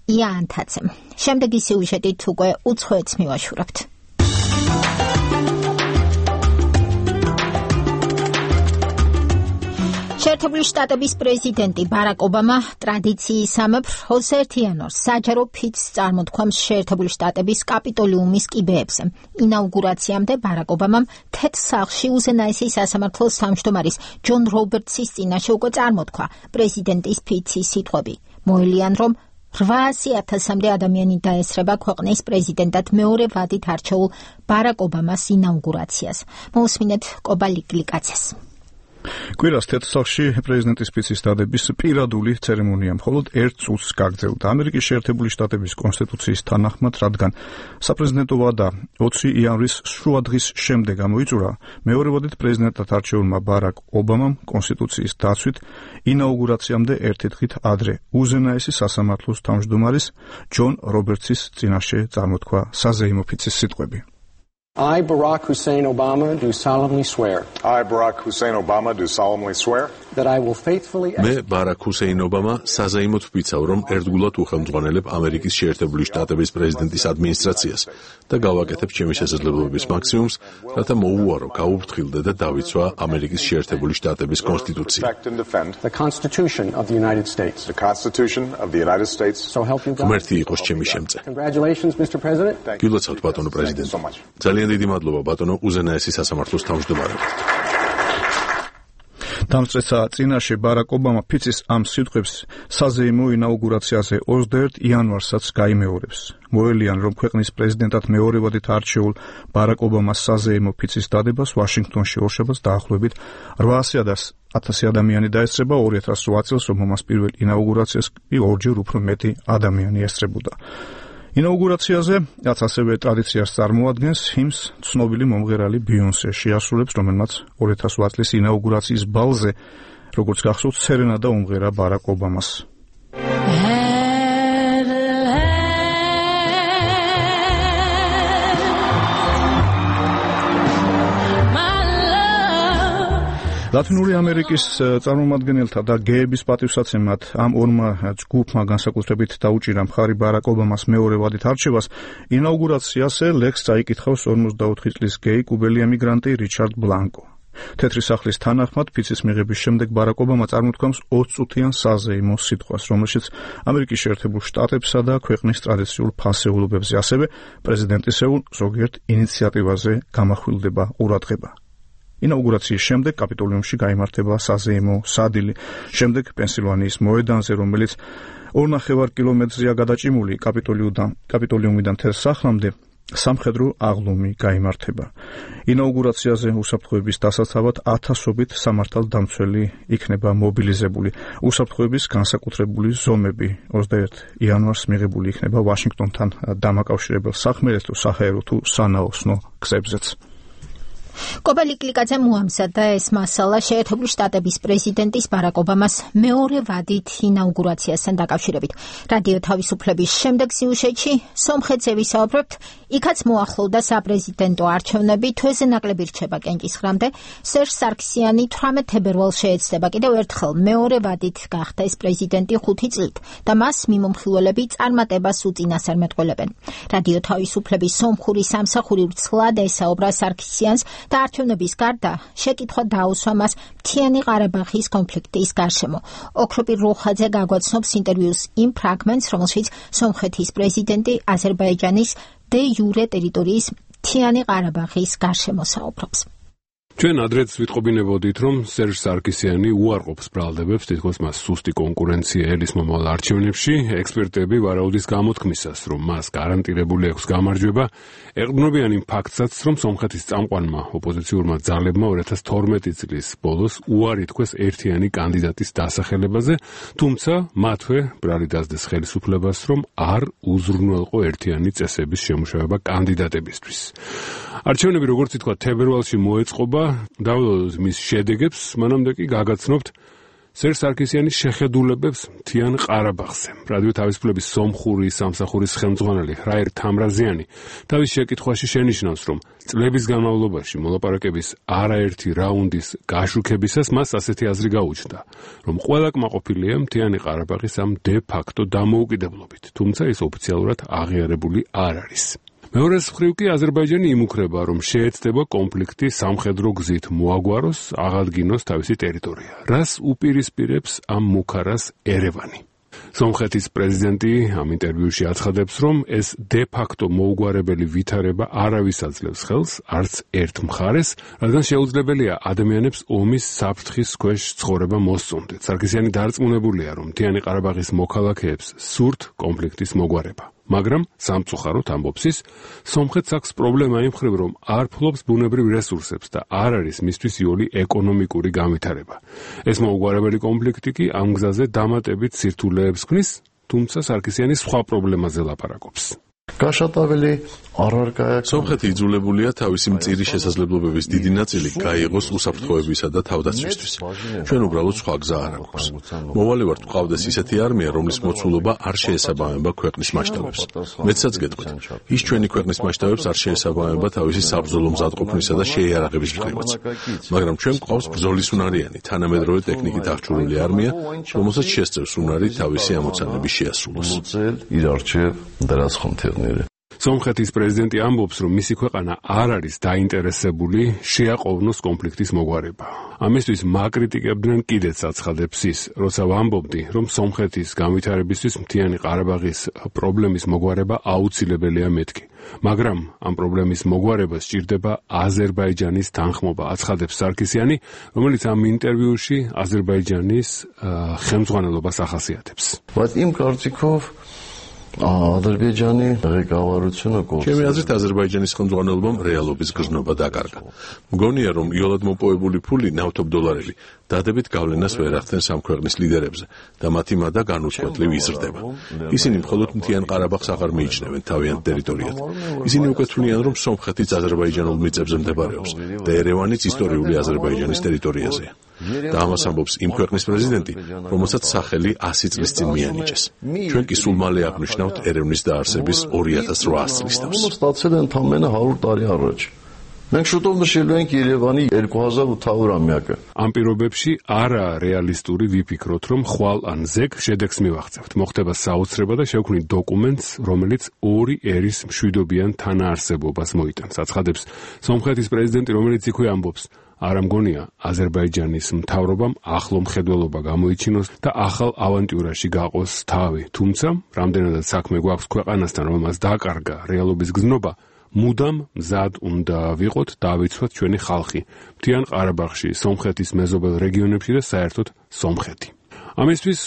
ია ანთაძემ. შემდეგი სიუჟეტით უკვე უცხოეთს მივაშურებთ. შეერთებული შტატების პრეზიდენტი ბარაკ ობამა ტრადიციისამებრ ოცდაერთი იანვარს საჯარო ფიცს წარმოთქვამს შეერთებული შტატების კაპიტოლიუმის კიბეებზე. ინაუგურაციამდე ბარაკ ობამამ თეთრ სახლში უზენაესი სასამართლოს თავმჯდომარის ჯონ რობერტსის წინაშე უკვე წარმოთქვა პრეზიდენტის ფიცის სიტყვები. მოელიან, რომ რვაასი ათასამდე ადამიანი დაესწრება ქვეყნის პრეზიდენტად მეორე ვადით არჩეულ ბარაკ ობამას ინაუგურაციას. მოусმინეთ კობალიკლიკაცეს. კვირას თეთრ სახლში პრეზიდენტის ფიცის დადების პირადული ცერემონია მხოლოდ ერთ წუთს გაგრძელდა. ამერიკის შეერთებული შტატების კონსტიტუციის თანახმად, რადგან საპრეზიდენტო ვადა ოცი იანვრის შუადღის შემდეგ გამოიწურა, მეორე ვადით პრეზიდენტად არჩეულმა ბარაკ ობამამ კონსტიტუციის დაცვით ინაუგურაციამდე ერთი დღით ადრე უზენაესი სასამართლოს თავმჯდომარის ჯონ რობერტსის წინაშე წარმოთქვა საზეიმო ფიცის სიტყვები. I, Barack Hussein Obama, do solemnly swear. I, Barack Hussein Obama, do solemnly swear. That I will faithfully. მე ბარაკ ჰუსეინ ობამა საზეიმოდ ვფიცავ, რომ ერთგულად უხელმძღვანელებ ამერიკის შეერთებული შტატების პრეზიდენტის ადმინისტრაციას და გავაკეთებ ჩემი შესაძლებლობების მაქსიმუმს, რათა მოუვარო, გაუფრთხილდე და დავიცვა ამერიკის შეერთებული შტატების კონსტიტუცია. The Constitution of the United States. The Constitution of the United States. So help you God. ღმერთი იყოს ჩემი შემწე. Congratulations, Mister President. გილოცავთ ბატონო პრეზიდენტ. ძალიან დიდი მადლობა ბატონო უზენაესი სასამართლოს თავმჯდომარედ. დამწრესა წინაშე ბარაკ ობამა ფიცის ამ სიტყვებს საზეიმო ინაუგურაციაზე ოცდაერთ იანვარსაც გაიმეორებს. მოელიან, რომ ქვეყნის პრეზიდენტად მეორე ვადით არჩეულ ბარაკ ობამას საზეიმო ფიცის დადებას ვაშინგტონში ორშაბათს დაახლოებით რვაასი ათასი ადამიანი დაესწრება, ორი ათას რვა წელს, რომ ომას პირველ ინაუგურაციას კი ორჯერ უფრო მეტი ადამიანი ესწრებოდა. ინაუგურაციაზე, რაც ასევე ტრადიციას წარმოადგენს, ჰიმს ცნობილი მომღერალი ბიონსე შეასრულებს, რომელმაც ორი ათას რვა წლის ინაუგურაციის ბალზე, როგორც გახსოვთ, სერენადა უმღერა ბარაკ ობამას. ლათინური ამერიკის წარმომადგენელთა და გეების პატივსაცემად ამ ორმა ჯგუფმა განსაკუთრებით დაუჭირა მხარი ბარაკ ობამას მეორე ვადით არჩევას. ინაუგურაციაზე ლექსს წაიკითხავს ორმოცდაოთხი წლის გეი კუბელი ემიგრანტი რიჩარდ ბლანკო. თეთრი სახლის თანახმად ფიცის მიღების შემდეგ ბარაკ ობამა წარმოთქვამს ოცწუთიან საზეიმო სიტყვას, რომელშიც ამერიკის შეერთებულ შტატებსა და ქვეყნის ტრადიციულ ფასეულობებზე, ასევე პრეზიდენტისეულ ზოგიერთ ინიციატივაზე გამახვილდება ყურადღება. ინაუგურაციის შემდეგ კაპიტოლიუმში გაიმართება საზეიმო სადილი, შემდეგ პენსილვანიის მოედანზე, რომელიც ორნახევარ კილომეტრზეა გადაჭიმული კაპიტოლიუმიდან თეთრ სახლამდე, სამხედრო აღლუმი გაიმართება. ინაუგურაციაზე უსაფრთხოების დასაცავად ათასობით სამართალდამცველი იქნება მობილიზებული. უსაფრთხოების განსაკუთრებული ზომები ოცდაერთ იანვარს მიღებული იქნება ვაშინგტონთან დამაკავშირებელ სახმელეთო, საჰაერო თუ სანაოსნო გზებზეც. კობალიკლიკაძე მოამზადა ეს მასალა შეერთებული შტატების პრეზიდენტის ბარაკ ობამას მეორე ვადით ინაუგურაციასთან დაკავშირებით. რადიო თავისუფლების შემდეგ სიუჟეტში სომხეთზე ვისაუბრებთ, იქაც მოახლოვდა საპრეზიდენტო არჩევნები, თვეზე ნაკლები რჩება კენჭისხრამდე. სერჟ სარქსიანი თვრამეტ თებერვალს შეეცდება კიდევ ერთხელ მეორე ვადით გახდა ეს პრეზიდენტი ხუთი წლით და მას მიმომხილველები წარმატებას უწინასწარმეტყველებენ. რადიო თავისუფლების სომხური სამსახური ვრცლად ესაუბრა სარქსიანს და არჩევნების გარდა შეკითხვა დაუსვა მას მთიანი ყარაბაღის კონფლიქტის გარშემო. ოქროპირ როხაძე გაგვაცნობს ინტერვიუს იმ ფრაგმენტს, რომელშიც სომხეთის პრეზიდენტი აზერბაიჯანის დე იურე ტერიტორიის მთიანი ყარაბაღის გარშემო საუბრობს. ჩვენ ადრეც ვიტყობინებოდით, რომ სერჟ სარკისიანი უარყოფს ბრალდებებს, თითქოს მას სუსტი კონკურენცია ელის მომავალ არჩევნებში. ექსპერტები ვარაუდის გამოთქმისას, რომ მას გარანტირებული აქვს გამარჯვება, ეყრდნობიან იმ ფაქტსაც, რომ სომხეთის წამყვანმა ოპოზიციურმა ძალებმა ორი ათას თორმეტი წლის ბოლოს უარი თქვეს ერთიანი კანდიდატის დასახელებაზე, თუმცა მათვე ბრალი დასდეს ხელისუფლებას, რომ არ უზრუნველყო ერთიანი წესების შემუშავება კანდიდატებისთვის. არჩევნები, როგორც ითქვა, თებერვალში მოეწყობა. დავალოთ მის შედეგებს, მანამდე კი გაგაცნობთ სერჟ სარკისიანის შეხედულებებს მთიან ყარაბაღზე. რადიო თავისუფლების სომხური სამსახურის ხელმძღვანელი ხრაერ თამრაზიანი თავის შეკითხვაში შენიშნავს, რომ წლების განმავლობაში მოლაპარაკების არაერთი რაუნდის გაშუქებისას მას ასეთი აზრი გაუჩნდა, რომ ყველა კმაყოფილია მთიანი ყარაბაღის ამ დე ფაქტო დამოუკიდებლობით, თუმცა ის ოფიციალურად აღიარებული არ არის. მეორეს მხრივ კი აზერბაიჯანი იმუქრება, რომ შეეცდება კონფლიქტი სამხედრო გზით მოაგვაროს, აღადგინოს თავისი ტერიტორია. რას უპირისპირებს ამ მუქარას ერევანი? სომხეთის პრეზიდენტი ამ ინტერვიუში აცხადებს, რომ ეს დე ფაქტო მოუგვარებელი ვითარება არავის აძლევს ხელს, არც ერთ მხარეს, რადგან შეუძლებელია ადამიანებს ომის საფრთხის ქვეშ ცხოვრება მოსწონდეთ. სარკისიანი დარწმუნებულია, რომ მთიანი ყარაბაღის მოქალაქეებს სურთ კონფლიქტის მოგვარება. მაგრამ სამწუხაროდ ამბობს ის, სომხეთს აქვს პრობლემა იმ მხრივ, რომ არ ფლობს ბუნებრივ რესურსებს და არ არის მისთვის იოლი ეკონომიკური განვითარება. ეს მოუგვარებელი კონფლიქტი კი ამ გზაზე დამატებით სირთულეებს ქმნის, თუმცა სარკისიანი სხვა პრობლემაზე ლაპარაკობს. გაშატაველი არ არ გააკეთებს. სომხეთი იძულებულია თავისი მწირი შესაძლებლობების დიდი ნაწილი გაიღოს უსაფრთხოებისა და თავდაცვისთვის. ჩვენ უბრალოდ სხვა გზა არ აქვს. მოვალე ვართ გვყავდეს ისეთი არმია, რომლის მოცულობა არ შეესაბამება ქვეყნის მასშტაბებს. მეცაც გეტყვით, ის ჩვენი ქვეყნის მასშტაბებს არ შეესაბამება თავისი საბრძოლო მზადყოფნისა და შეიარაღების მხრივაც. მაგრამ ჩვენ გვყავს ბრძოლის უნარიანი, თანამედროვე ტექნიკით აღჭურვილი არმია, რომელსაც შესწევს უნარი თავისი ამოცანების შეასრულოს. სომხეთის პრეზიდენტი ამბობს, რომ მისი ქვეყანა არ არის დაინტერესებული შეაყოვნოს კონფლიქტის მოგვარება. ამისთვის მაკრიტიკებდნენ კიდეც აცხადებს ის, როცა ვამბობდი, რომ სომხეთის განვითარებისთვის მთიანი ყარაბაღის პრობლემის მოგვარება აუცილებელია მეთქი. მაგრამ ამ პრობლემის მოგვარებას სჭირდება აზერბაიჯანის თანხმობა, აცხადებს სარკისიანი, რომელიც ამ ინტერვიუში აზერბაიჯანის ხელმძღვანელობას ახასიათებს. იმ კარწიკով აზერბაიჯანი ღეგავარუცუნა გოლს. ჩემი აზრით აზერბაიჯანის ხელმძღვანელობამ რეალობის გზნობა დაკარგა. მგონია, რომ იოლად მოპოვებული ფული, ნავთობ დოლარები, დადებით გავლენას ვერ ახდენს ამ ქვეყნის ლიდერებზე და მათი მადა განუწყვეტლივ იზრდება. ისინი მხოლოდ მთიან ყარაბაღს აღარ მიიჩნევენ თავიანთ ტერიტორიად. ისინი უკვე თვლიან, რომ სომხეთიც აზერბაიჯანულ მიწებზე მდებარეობს და ერევანიც ისტორიული აზერბაიჯანის ტერიტორიაზეა. და ამას ამბობს იმ ქვეყნის პრეზიდენტი, რომელსაც სახელი ასი წლის წინ მიანიჭეს. ჩვენ კი სულ მალე აღნიშნავთ ერევნის დაარსების ორი ათას რვაას წლის თავს. մենք შუტով შევենք ერევანი երկու հազար ութ ամյակը. ამ პირობებში არა რეალისტური ვიფიქროთ, რომ ხვალ ან ზეგ შედეგს მივაღწევთ. მოხდება საოცრება და შევქმნით დოკუმენტს, რომელიც ორი ერის მშვიდობიან თანაარსებობას მოიტანს. აცხადებს სომხეთის პრეზიდენტი, რომელიც იქვე ამბობს, არ ამგონია აზერბაიჯანის მთავრობამ ახლო მხედველობა გამოიჩინოს და ახალ ავანტიურაში გაყოს თავი. თუმცა, რამდენადაც საქმე გვაქვს ქვეყანასთან, რომელმაც დაკარგა რეალობის გზნობა, მუდამ მზად უნდა ვიყოთ დავიცვათ ჩვენი ხალხი მთიან ყარაბაღში, სომხეთის მეზობელ რეგიონებში და საერთოდ სომხეთი. ამისთვის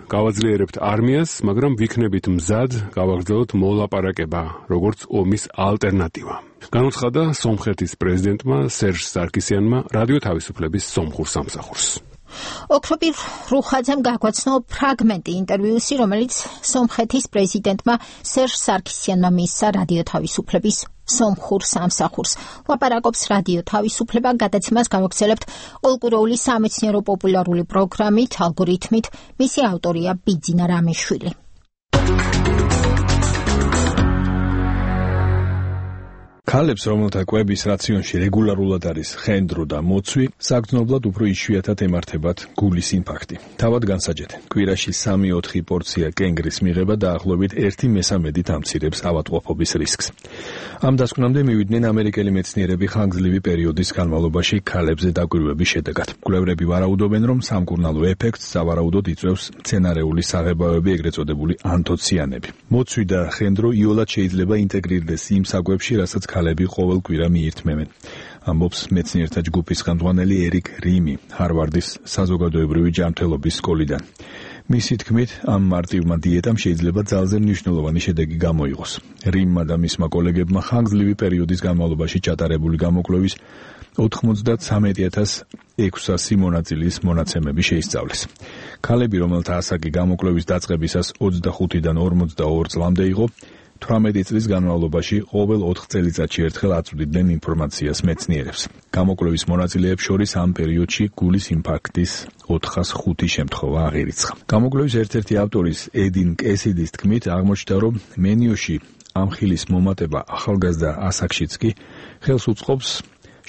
გავაძლიერებთ არმიას, მაგრამ ვიქნებით მზად გავაგრძელოთ მოლაპარაკება, როგორც ომის ალტერნატივა. განუცხადა სომხეთის პრეზიდენტმა სერჟ სარკისიანმა რადიო თავისუფლების სომხურ სამსახურს. ოქროპირ რუხაძემ გაგვაცნო ფრაგმენტი ინტერვიუსი, რომელიც სომხეთის პრეზიდენტმა სერჟ სარკისიანმა მისცა რადიო თავისუფლების სომხურ სამსახურს. ლაპარაკობს რადიო თავისუფლება, გადაცემას გავაგრძელებთ ოლკურეული სამეცნიერო პოპულარული პროგრამით, ალგორითმით, მისი ავტორია ბიძინა რამიშვილი. ქალებს, რომელთა კვების რაციონში რეგულარულად არის ხენდრო და მოცვი, საგრძნობლად უფრო იშვიათად ემართებათ გულის ინფარქტი. თავად განსაჯეთ, კვირაში სამი-ოთხი პორცია კენგრის მიღება დაახლოებით ერთი მესამედით ამცირებს ავადმყოფობის რისკს. ამ დასკვნამდე მივიდნენ ამერიკელი მეცნიერები ხანგრძლივი პერიოდის განმავლობაში ქალებზე დაკვირვების შედეგად. კვლევრები ვარაუდობენ, რომ სამკურნალო ეფექტს სავარაუდოდ იწვევს მცენარეული საღებავები, ეგრეთ წოდებული ანთოციანები. მოცვი და ხენდრო იოლად შეიძლება ინტეგრირდეს იმ საკვებში, რასაც ქალები ყოველ კვირა მიირთმევენ. ამბობს მეცნიერთა ჯგუფის ხელმძღვანელი ერიკ რიმი ჰარვარდის საზოგადოებრივი ჯანმრთელობის სკოლიდან. მისი თქმით, ამ მარტივმა დიეტამ შეიძლება ძალზე მნიშვნელოვანი შედეგი გამოიღოს. რიმმა და მისმა კოლეგებმა ხანგრძლივი პერიოდის განმავლობაში ჩატარებული გამოკვლევის ოთხმოცდათვრამეტ ათას ექვსასი მონაწილის მონაცემები შეისწავლეს. ქალები, რომელთა ასაკი გამოკვლევის დაწყებისას ოცდახუთიდან ორმოცდაორ წლამდე იყო, თვრამეტი წლის განმავლობაში ყოველ ოთხ წელიწადში ერთხელ აწვდიდნენ ინფორმაციას მეცნიერებს. გამოკვლევის მონაწილეებს შორის ამ პერიოდში გულის ინფარქტის ოთხას ხუთი შემთხვევა აღირიცხა. გამოკვლევის ერთ-ერთი ავტორის ე딘 კესიდის თქმით, აღმოჩნდა, რომ მენიოში ამ ხილის მომატება ახალგაზრდა ასაკშიც კი ხელს უწყობს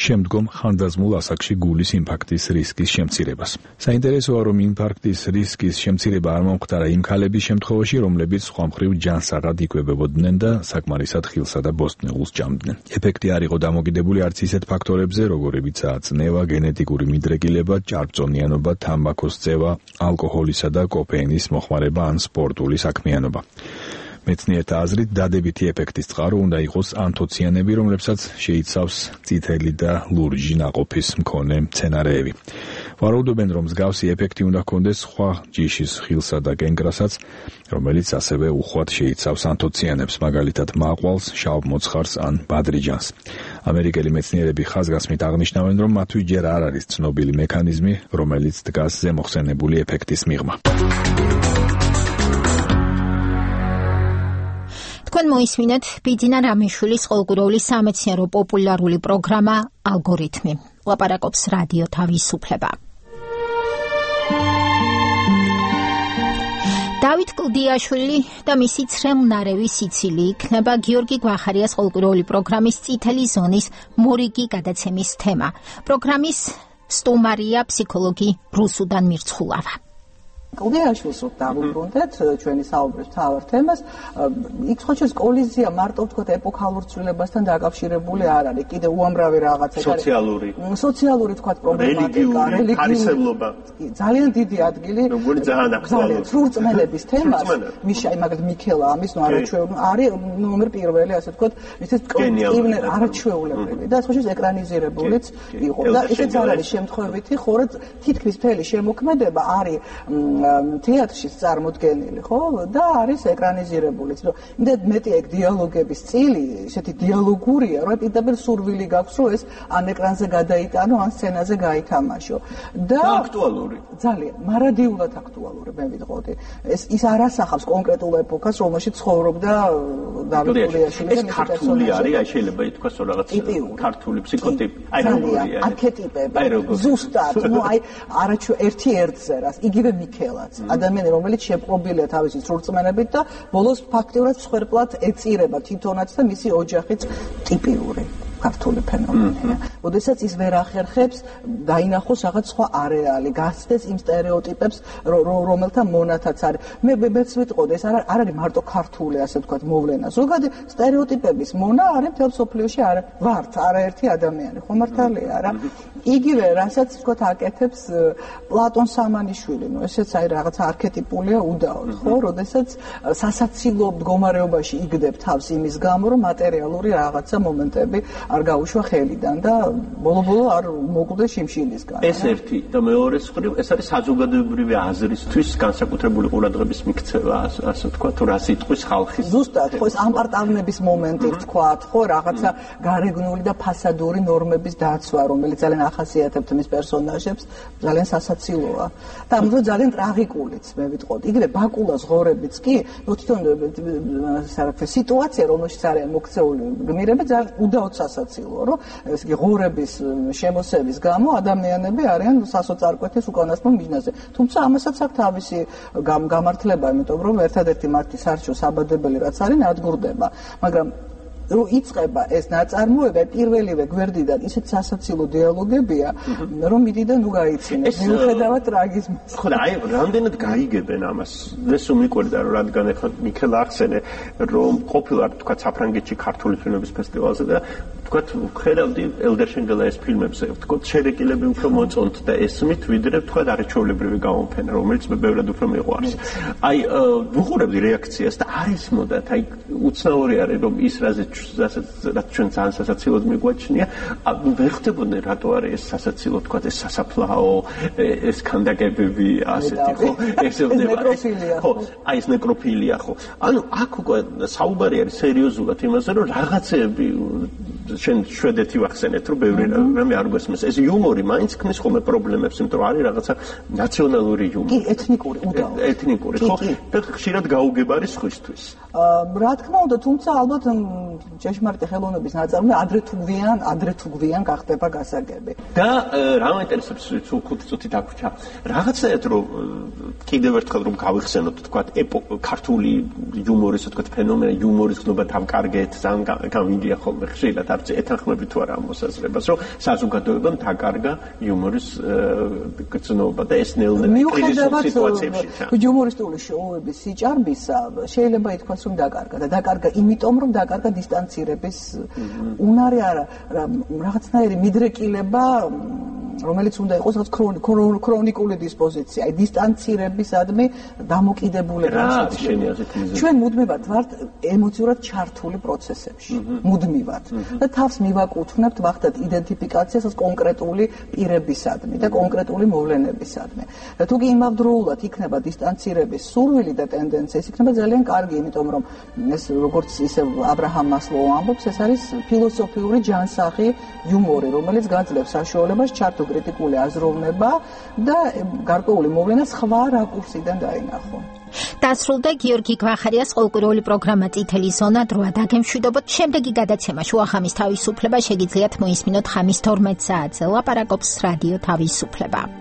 შემდგომ ხანდაზმულ ასაკში გულის ინფარქტის რისკის შემცირებას. საინტერესოა, რომ ინფარქტის რისკის შემცირება არ მომხდარა იმ ქალების შემთხვევაში, რომლებიც სხვა მხრივ ჯანსაღად იკვებებოდნენ და საკმარისად ხილსა და ბოსტნეულს ჭამდნენ. ეფექტი არ იყო დამოკიდებული არც ისეთ ფაქტორებზე, როგორებიცაა წნევა, გენეტიკური მიდრეკილება, ჭარბწონიანობა, თამბაქოს წევა, ალკოჰოლისა და კოფეინის მოხმარება ან სპორტული საქმიანობა. მეცნიერთა აზრით, დადებითი ეფექტის წყარო უნდა იყოს ანთოციანები, რომლებსაც შეიცავს წითელი და ლურჯი ნაყოფის მქონე მცენარეები. ვარაუდობენ, რომ მსგავსი ეფექტი უნდა ჰქონდეს სხვა ჯიშის ხილსა და კენკრასაც, რომელიც ასევე უხვად შეიცავს ანთოციანებს, მაგალითად მაყვალს, შავ მოცხარს ან ბადრიჯანს. ამერიკელი მეცნიერები ხაზგასმით აღნიშნავენ, რომ მათთვის ჯერ არ არის ცნობილი მექანიზმი, რომელიც დგას ზემოხსენებული ეფექტის მიღმა. თქვენ მოისმინეთ ბიძინა რამიშვილის ყოველკვირეული სამეცნიერო პოპულარული პროგრამა ალგორითმი. ლაპარაკობს რადიო თავისუფლება. დავით კლდიაშვილი და მისი ცრემლნარევი სიცილი იქნება გიორგი გვახარიას ყოველკვირეული პროგრამის წითელი ზონის მორიგი გადაცემის თემა. პროგრამის სტუმარია ფსიქოლოგი რუსუდან მირცხულავა. კლდიაშვილს დავუბრუნდეთ ჩვენი საუბრის მთავარ თემას. იქ სხვა შორის კოლიზია მარტო ვთქვათ ეპოქალურ ცვლილებასთან დაკავშირებული არ არის. კიდე უამრავი რაღაცა სოციალური სოციალური ვთქვათ პრობლემატიკა, რელიგიურობა. ძალიან დიდი ადგილი როგორი ძალიან აქტუალური სრულწმენების თემას. მიშა მაგალითად მიქელა ამის ნუ არაჩვეულებრივი არის ნომერ პირველი ასე ვთქვათ ისეთ კოლექტივი არაჩვეულებრივი და სხვა შორის ეკრანიზირებულიც იყო და ისეც არ არის შემთხვევითი, ხოლო თითქმის მთელი შემოქმედება არის თეატრშიც წარმოდგენილი, ხო? და არის ეკრანიზირებულიც. რომ იმდენ მეტი ეგ დიალოგების წილი, ესეთი დიალოგურია, რომ პირდაპირ სურვილი გაქვს, რომ ეს ან ეკრანზე გადაიტანო, ან სცენაზე გაითამაშო. და აქტუალური. ძალიან, მარადიულად აქტუალური, მე ვიტყოდი. ეს ის არ ასახავს კონკრეტულ ეპოქას, რომელშიც ცხოვრობდა დავით კლდიაშვილი და მისი ქართული არის, აი შეიძლება ითქვას რომ რაღაც ქართული ფსიქოტიპი, აი როგორია, არქეტიპები. ზუსტად, ნუ აი არაჩვე ერთი ერთზე რას, იგივე მიქელა ადამიანი, რომელიც შეპყრობილია თავისი სრულწმენებით და ბოლოს ფაქტიურად მსხვერპლად ეწირება თვითონაც და მისი ოჯახიც ტიპიური ქართული ფენომენია. ოდესაც ის ვერ ახერხებს დაინახოს რაღაც სხვა არეალი, გასცდეს იმ სტერეოტიპებს, რომელთა მონათაც არის. მე მეც ვიტყოდი, ეს არ არის მარტო ქართული, ასე ვთქვათ, მოვლენა. ზოგადი სტერეოტიპების მონა არის მთელ მსოფლიოში არ ვართ არაერთი ადამიანი, ხო მართალია რა? იგივე, რასაც ვთქვათ, აკეთებს პლატონ სამანიშვილი, ნუ ესეც აი რაღაც არქეტიპულია უდაოდ, ხო? როდესაც სასაცილო მდგომარეობაში იგდებ თავს იმის გამო, რომ მატერიალური რაღაცა მომენტები არ გაუშვა ხელიდან და ბოლო-ბოლო არ მოკვდა შიმშილისგან. ეს ერთი და მეორე მხრივ ეს არის საზოგადოებრივი აზრისთვის განსაკუთრებული ყურადღების მიქცევა, ასე ვთქვათ, რა სიტყვის ხალხის. ზუსტად, ხო ეს ამპარტავნების მომენტი ვთქვათ, ხო რაღაცა გარეგნული და ფასადური ნორმების დაცვა, რომელიც ძალიან ახასიათებთ მის პერსონაჟებს, ძალიან სასაცილოა. და ამიტომ ძალიან ტრაგიკულიც, მე ვიტყოდი. იგივე ბაკულას ღორებიც კი, ნუ თვითონ საერთო სიტუაცია, რომელშიც არიან მოქცეული გმირები, ძალიან უდაოდ სასაცილოა, რომ ეს იგი ღორების შემოსევის გამო ადამიანები არიან სასოწარკვეთის უკანასკნელ მიჯნაზე. თუმცა ამასაც აქვს თავისი გამართლება, იმიტომ რომ ერთადერთი მათი სარჩო საბადებელი რაც არის, ნადგურდება. მაგრამ რომ იწყება ეს ნაწარმოება პირველივე გვერდიდან ისეთ სასაცილო დიალოგებია, რომ მიდიდან ნუ გაიცინებს მიუხედავად ტრაგიზმის. ხო და აი რამდენად გაიგებენ ამას? ეს უმიკვირდა რომ რადგან ახლა მიქელა ახსენე რომ ყოფილა თქვა საფრანგეთში ქართული ფილმების ფესტივალზე და თქვა ხედავდი ელდერშენგელაის ფილმებზე, თქვა შერეკილები უფრო მოწონთ და ესმით ვიდრე თქვა არაჩვეულებრივი გამოფენა, რომელიც მე ბევრად უფრო მიყვარს. აი ვუყურებდი რეაქციას და არ ისმოდათ, აი უცნაური არის რომ ის რაზეც რაც ჩვენ ძალიან სასაცილოდ მიგვაჩნია, ვერ ხდებოდნენ რატო არის ეს სასაცილო, თქვა ეს სასაფლაო, ეს ქანდაკებები, ასეთი ხო, ესევდება. ხო, აი ეს ნეკროფილია ხო. ანუ აქ უკვე საუბარი არის სერიოზულად იმაზე, რომ რაღაცეები შენ შვედეთი ვახსენეთ, რომ ბევრი რამე არ გვესმის. ეს იუმორი მაინც ქმნის ხოლმე პრობლემებს, იმიტომ რომ არის რაღაცა ნაციონალური იუმორი. კი, ეთნიკური, უდავო. ეთნიკური, ხო? და ხშირად გაუგებარი სხვისთვის. რა თქმა უნდა, თუმცა ალბათ ჭეშმარიტი ხელოვნების ნაწარმოები ადრე თუ გვიან, ადრე თუ გვიან გახდება გასაგები. და რა მაინტერესებს ხუთი წუთი დაგვრჩა. რაღაცაად რომ კიდევ ერთხელ რომ გავიხსენოთ, თქვა, ქართული იუმორის, თქვა, ფენომენი, იუმორის გნობა დავკარგეთ, ძალიან გამიგია ხოლმე ხშირად არც ეთანხმები თუ არა ამ მოსაზრებას, რომ საზოგადოებამ დაკარგა იუმორის გზნობა და ეს ნელ-ნელა კრიზისულ სიტუაციებში. იუმორისტული შოუების სიჭარბისა შეიძლება ითქვას, რომ დაკარგა და დაკარგა იმიტომ, რომ დაკარგა დისტანცირების უნარი არა, რაღაცნაირი მიდრეკილება, რომელიც უნდა იყოს რაღაც ქრონიკული დისპოზიცია, აი დისტანცირებისადმი დამოკიდებულება შეცვლილი. ჩვენ მუდმივად ვართ ემოციურად ჩართული პროცესებში, მუდმივად. და თავს მივაკუთვნებთ ვახდათ იდენტიფიკაციას კონკრეტული პირებისადმი და კონკრეტული მოვლენებისადმი. და თუ კი იმავდროულად იქნება დისტანცირების სურვილი და ტენდენცია, ეს იქნება ძალიან კარგი, იმიტომ რომ ეს როგორც ისე აბრაჰამ მასლოუ ამბობს, ეს არის ფილოსოფიური ჯანსაღი იუმორი, რომელიც გაძლევს საშუალებას ჩართო კრიტიკული აზროვნება და გარკვეული მოვლენა სხვა რაკურსიდან დაინახო. დასრულდა გიორგი გვახარიას ყოლკვირეული პროგრამა წითელი ზონა. დროა დაგემშვიდობოთ. შემდეგი გადაცემა შუახამის თავისუფლება შეგიძლიათ მოისმინოთ ხამის თორმეტ საათზე. ლაპარაკობს რადიო თავისუფლება.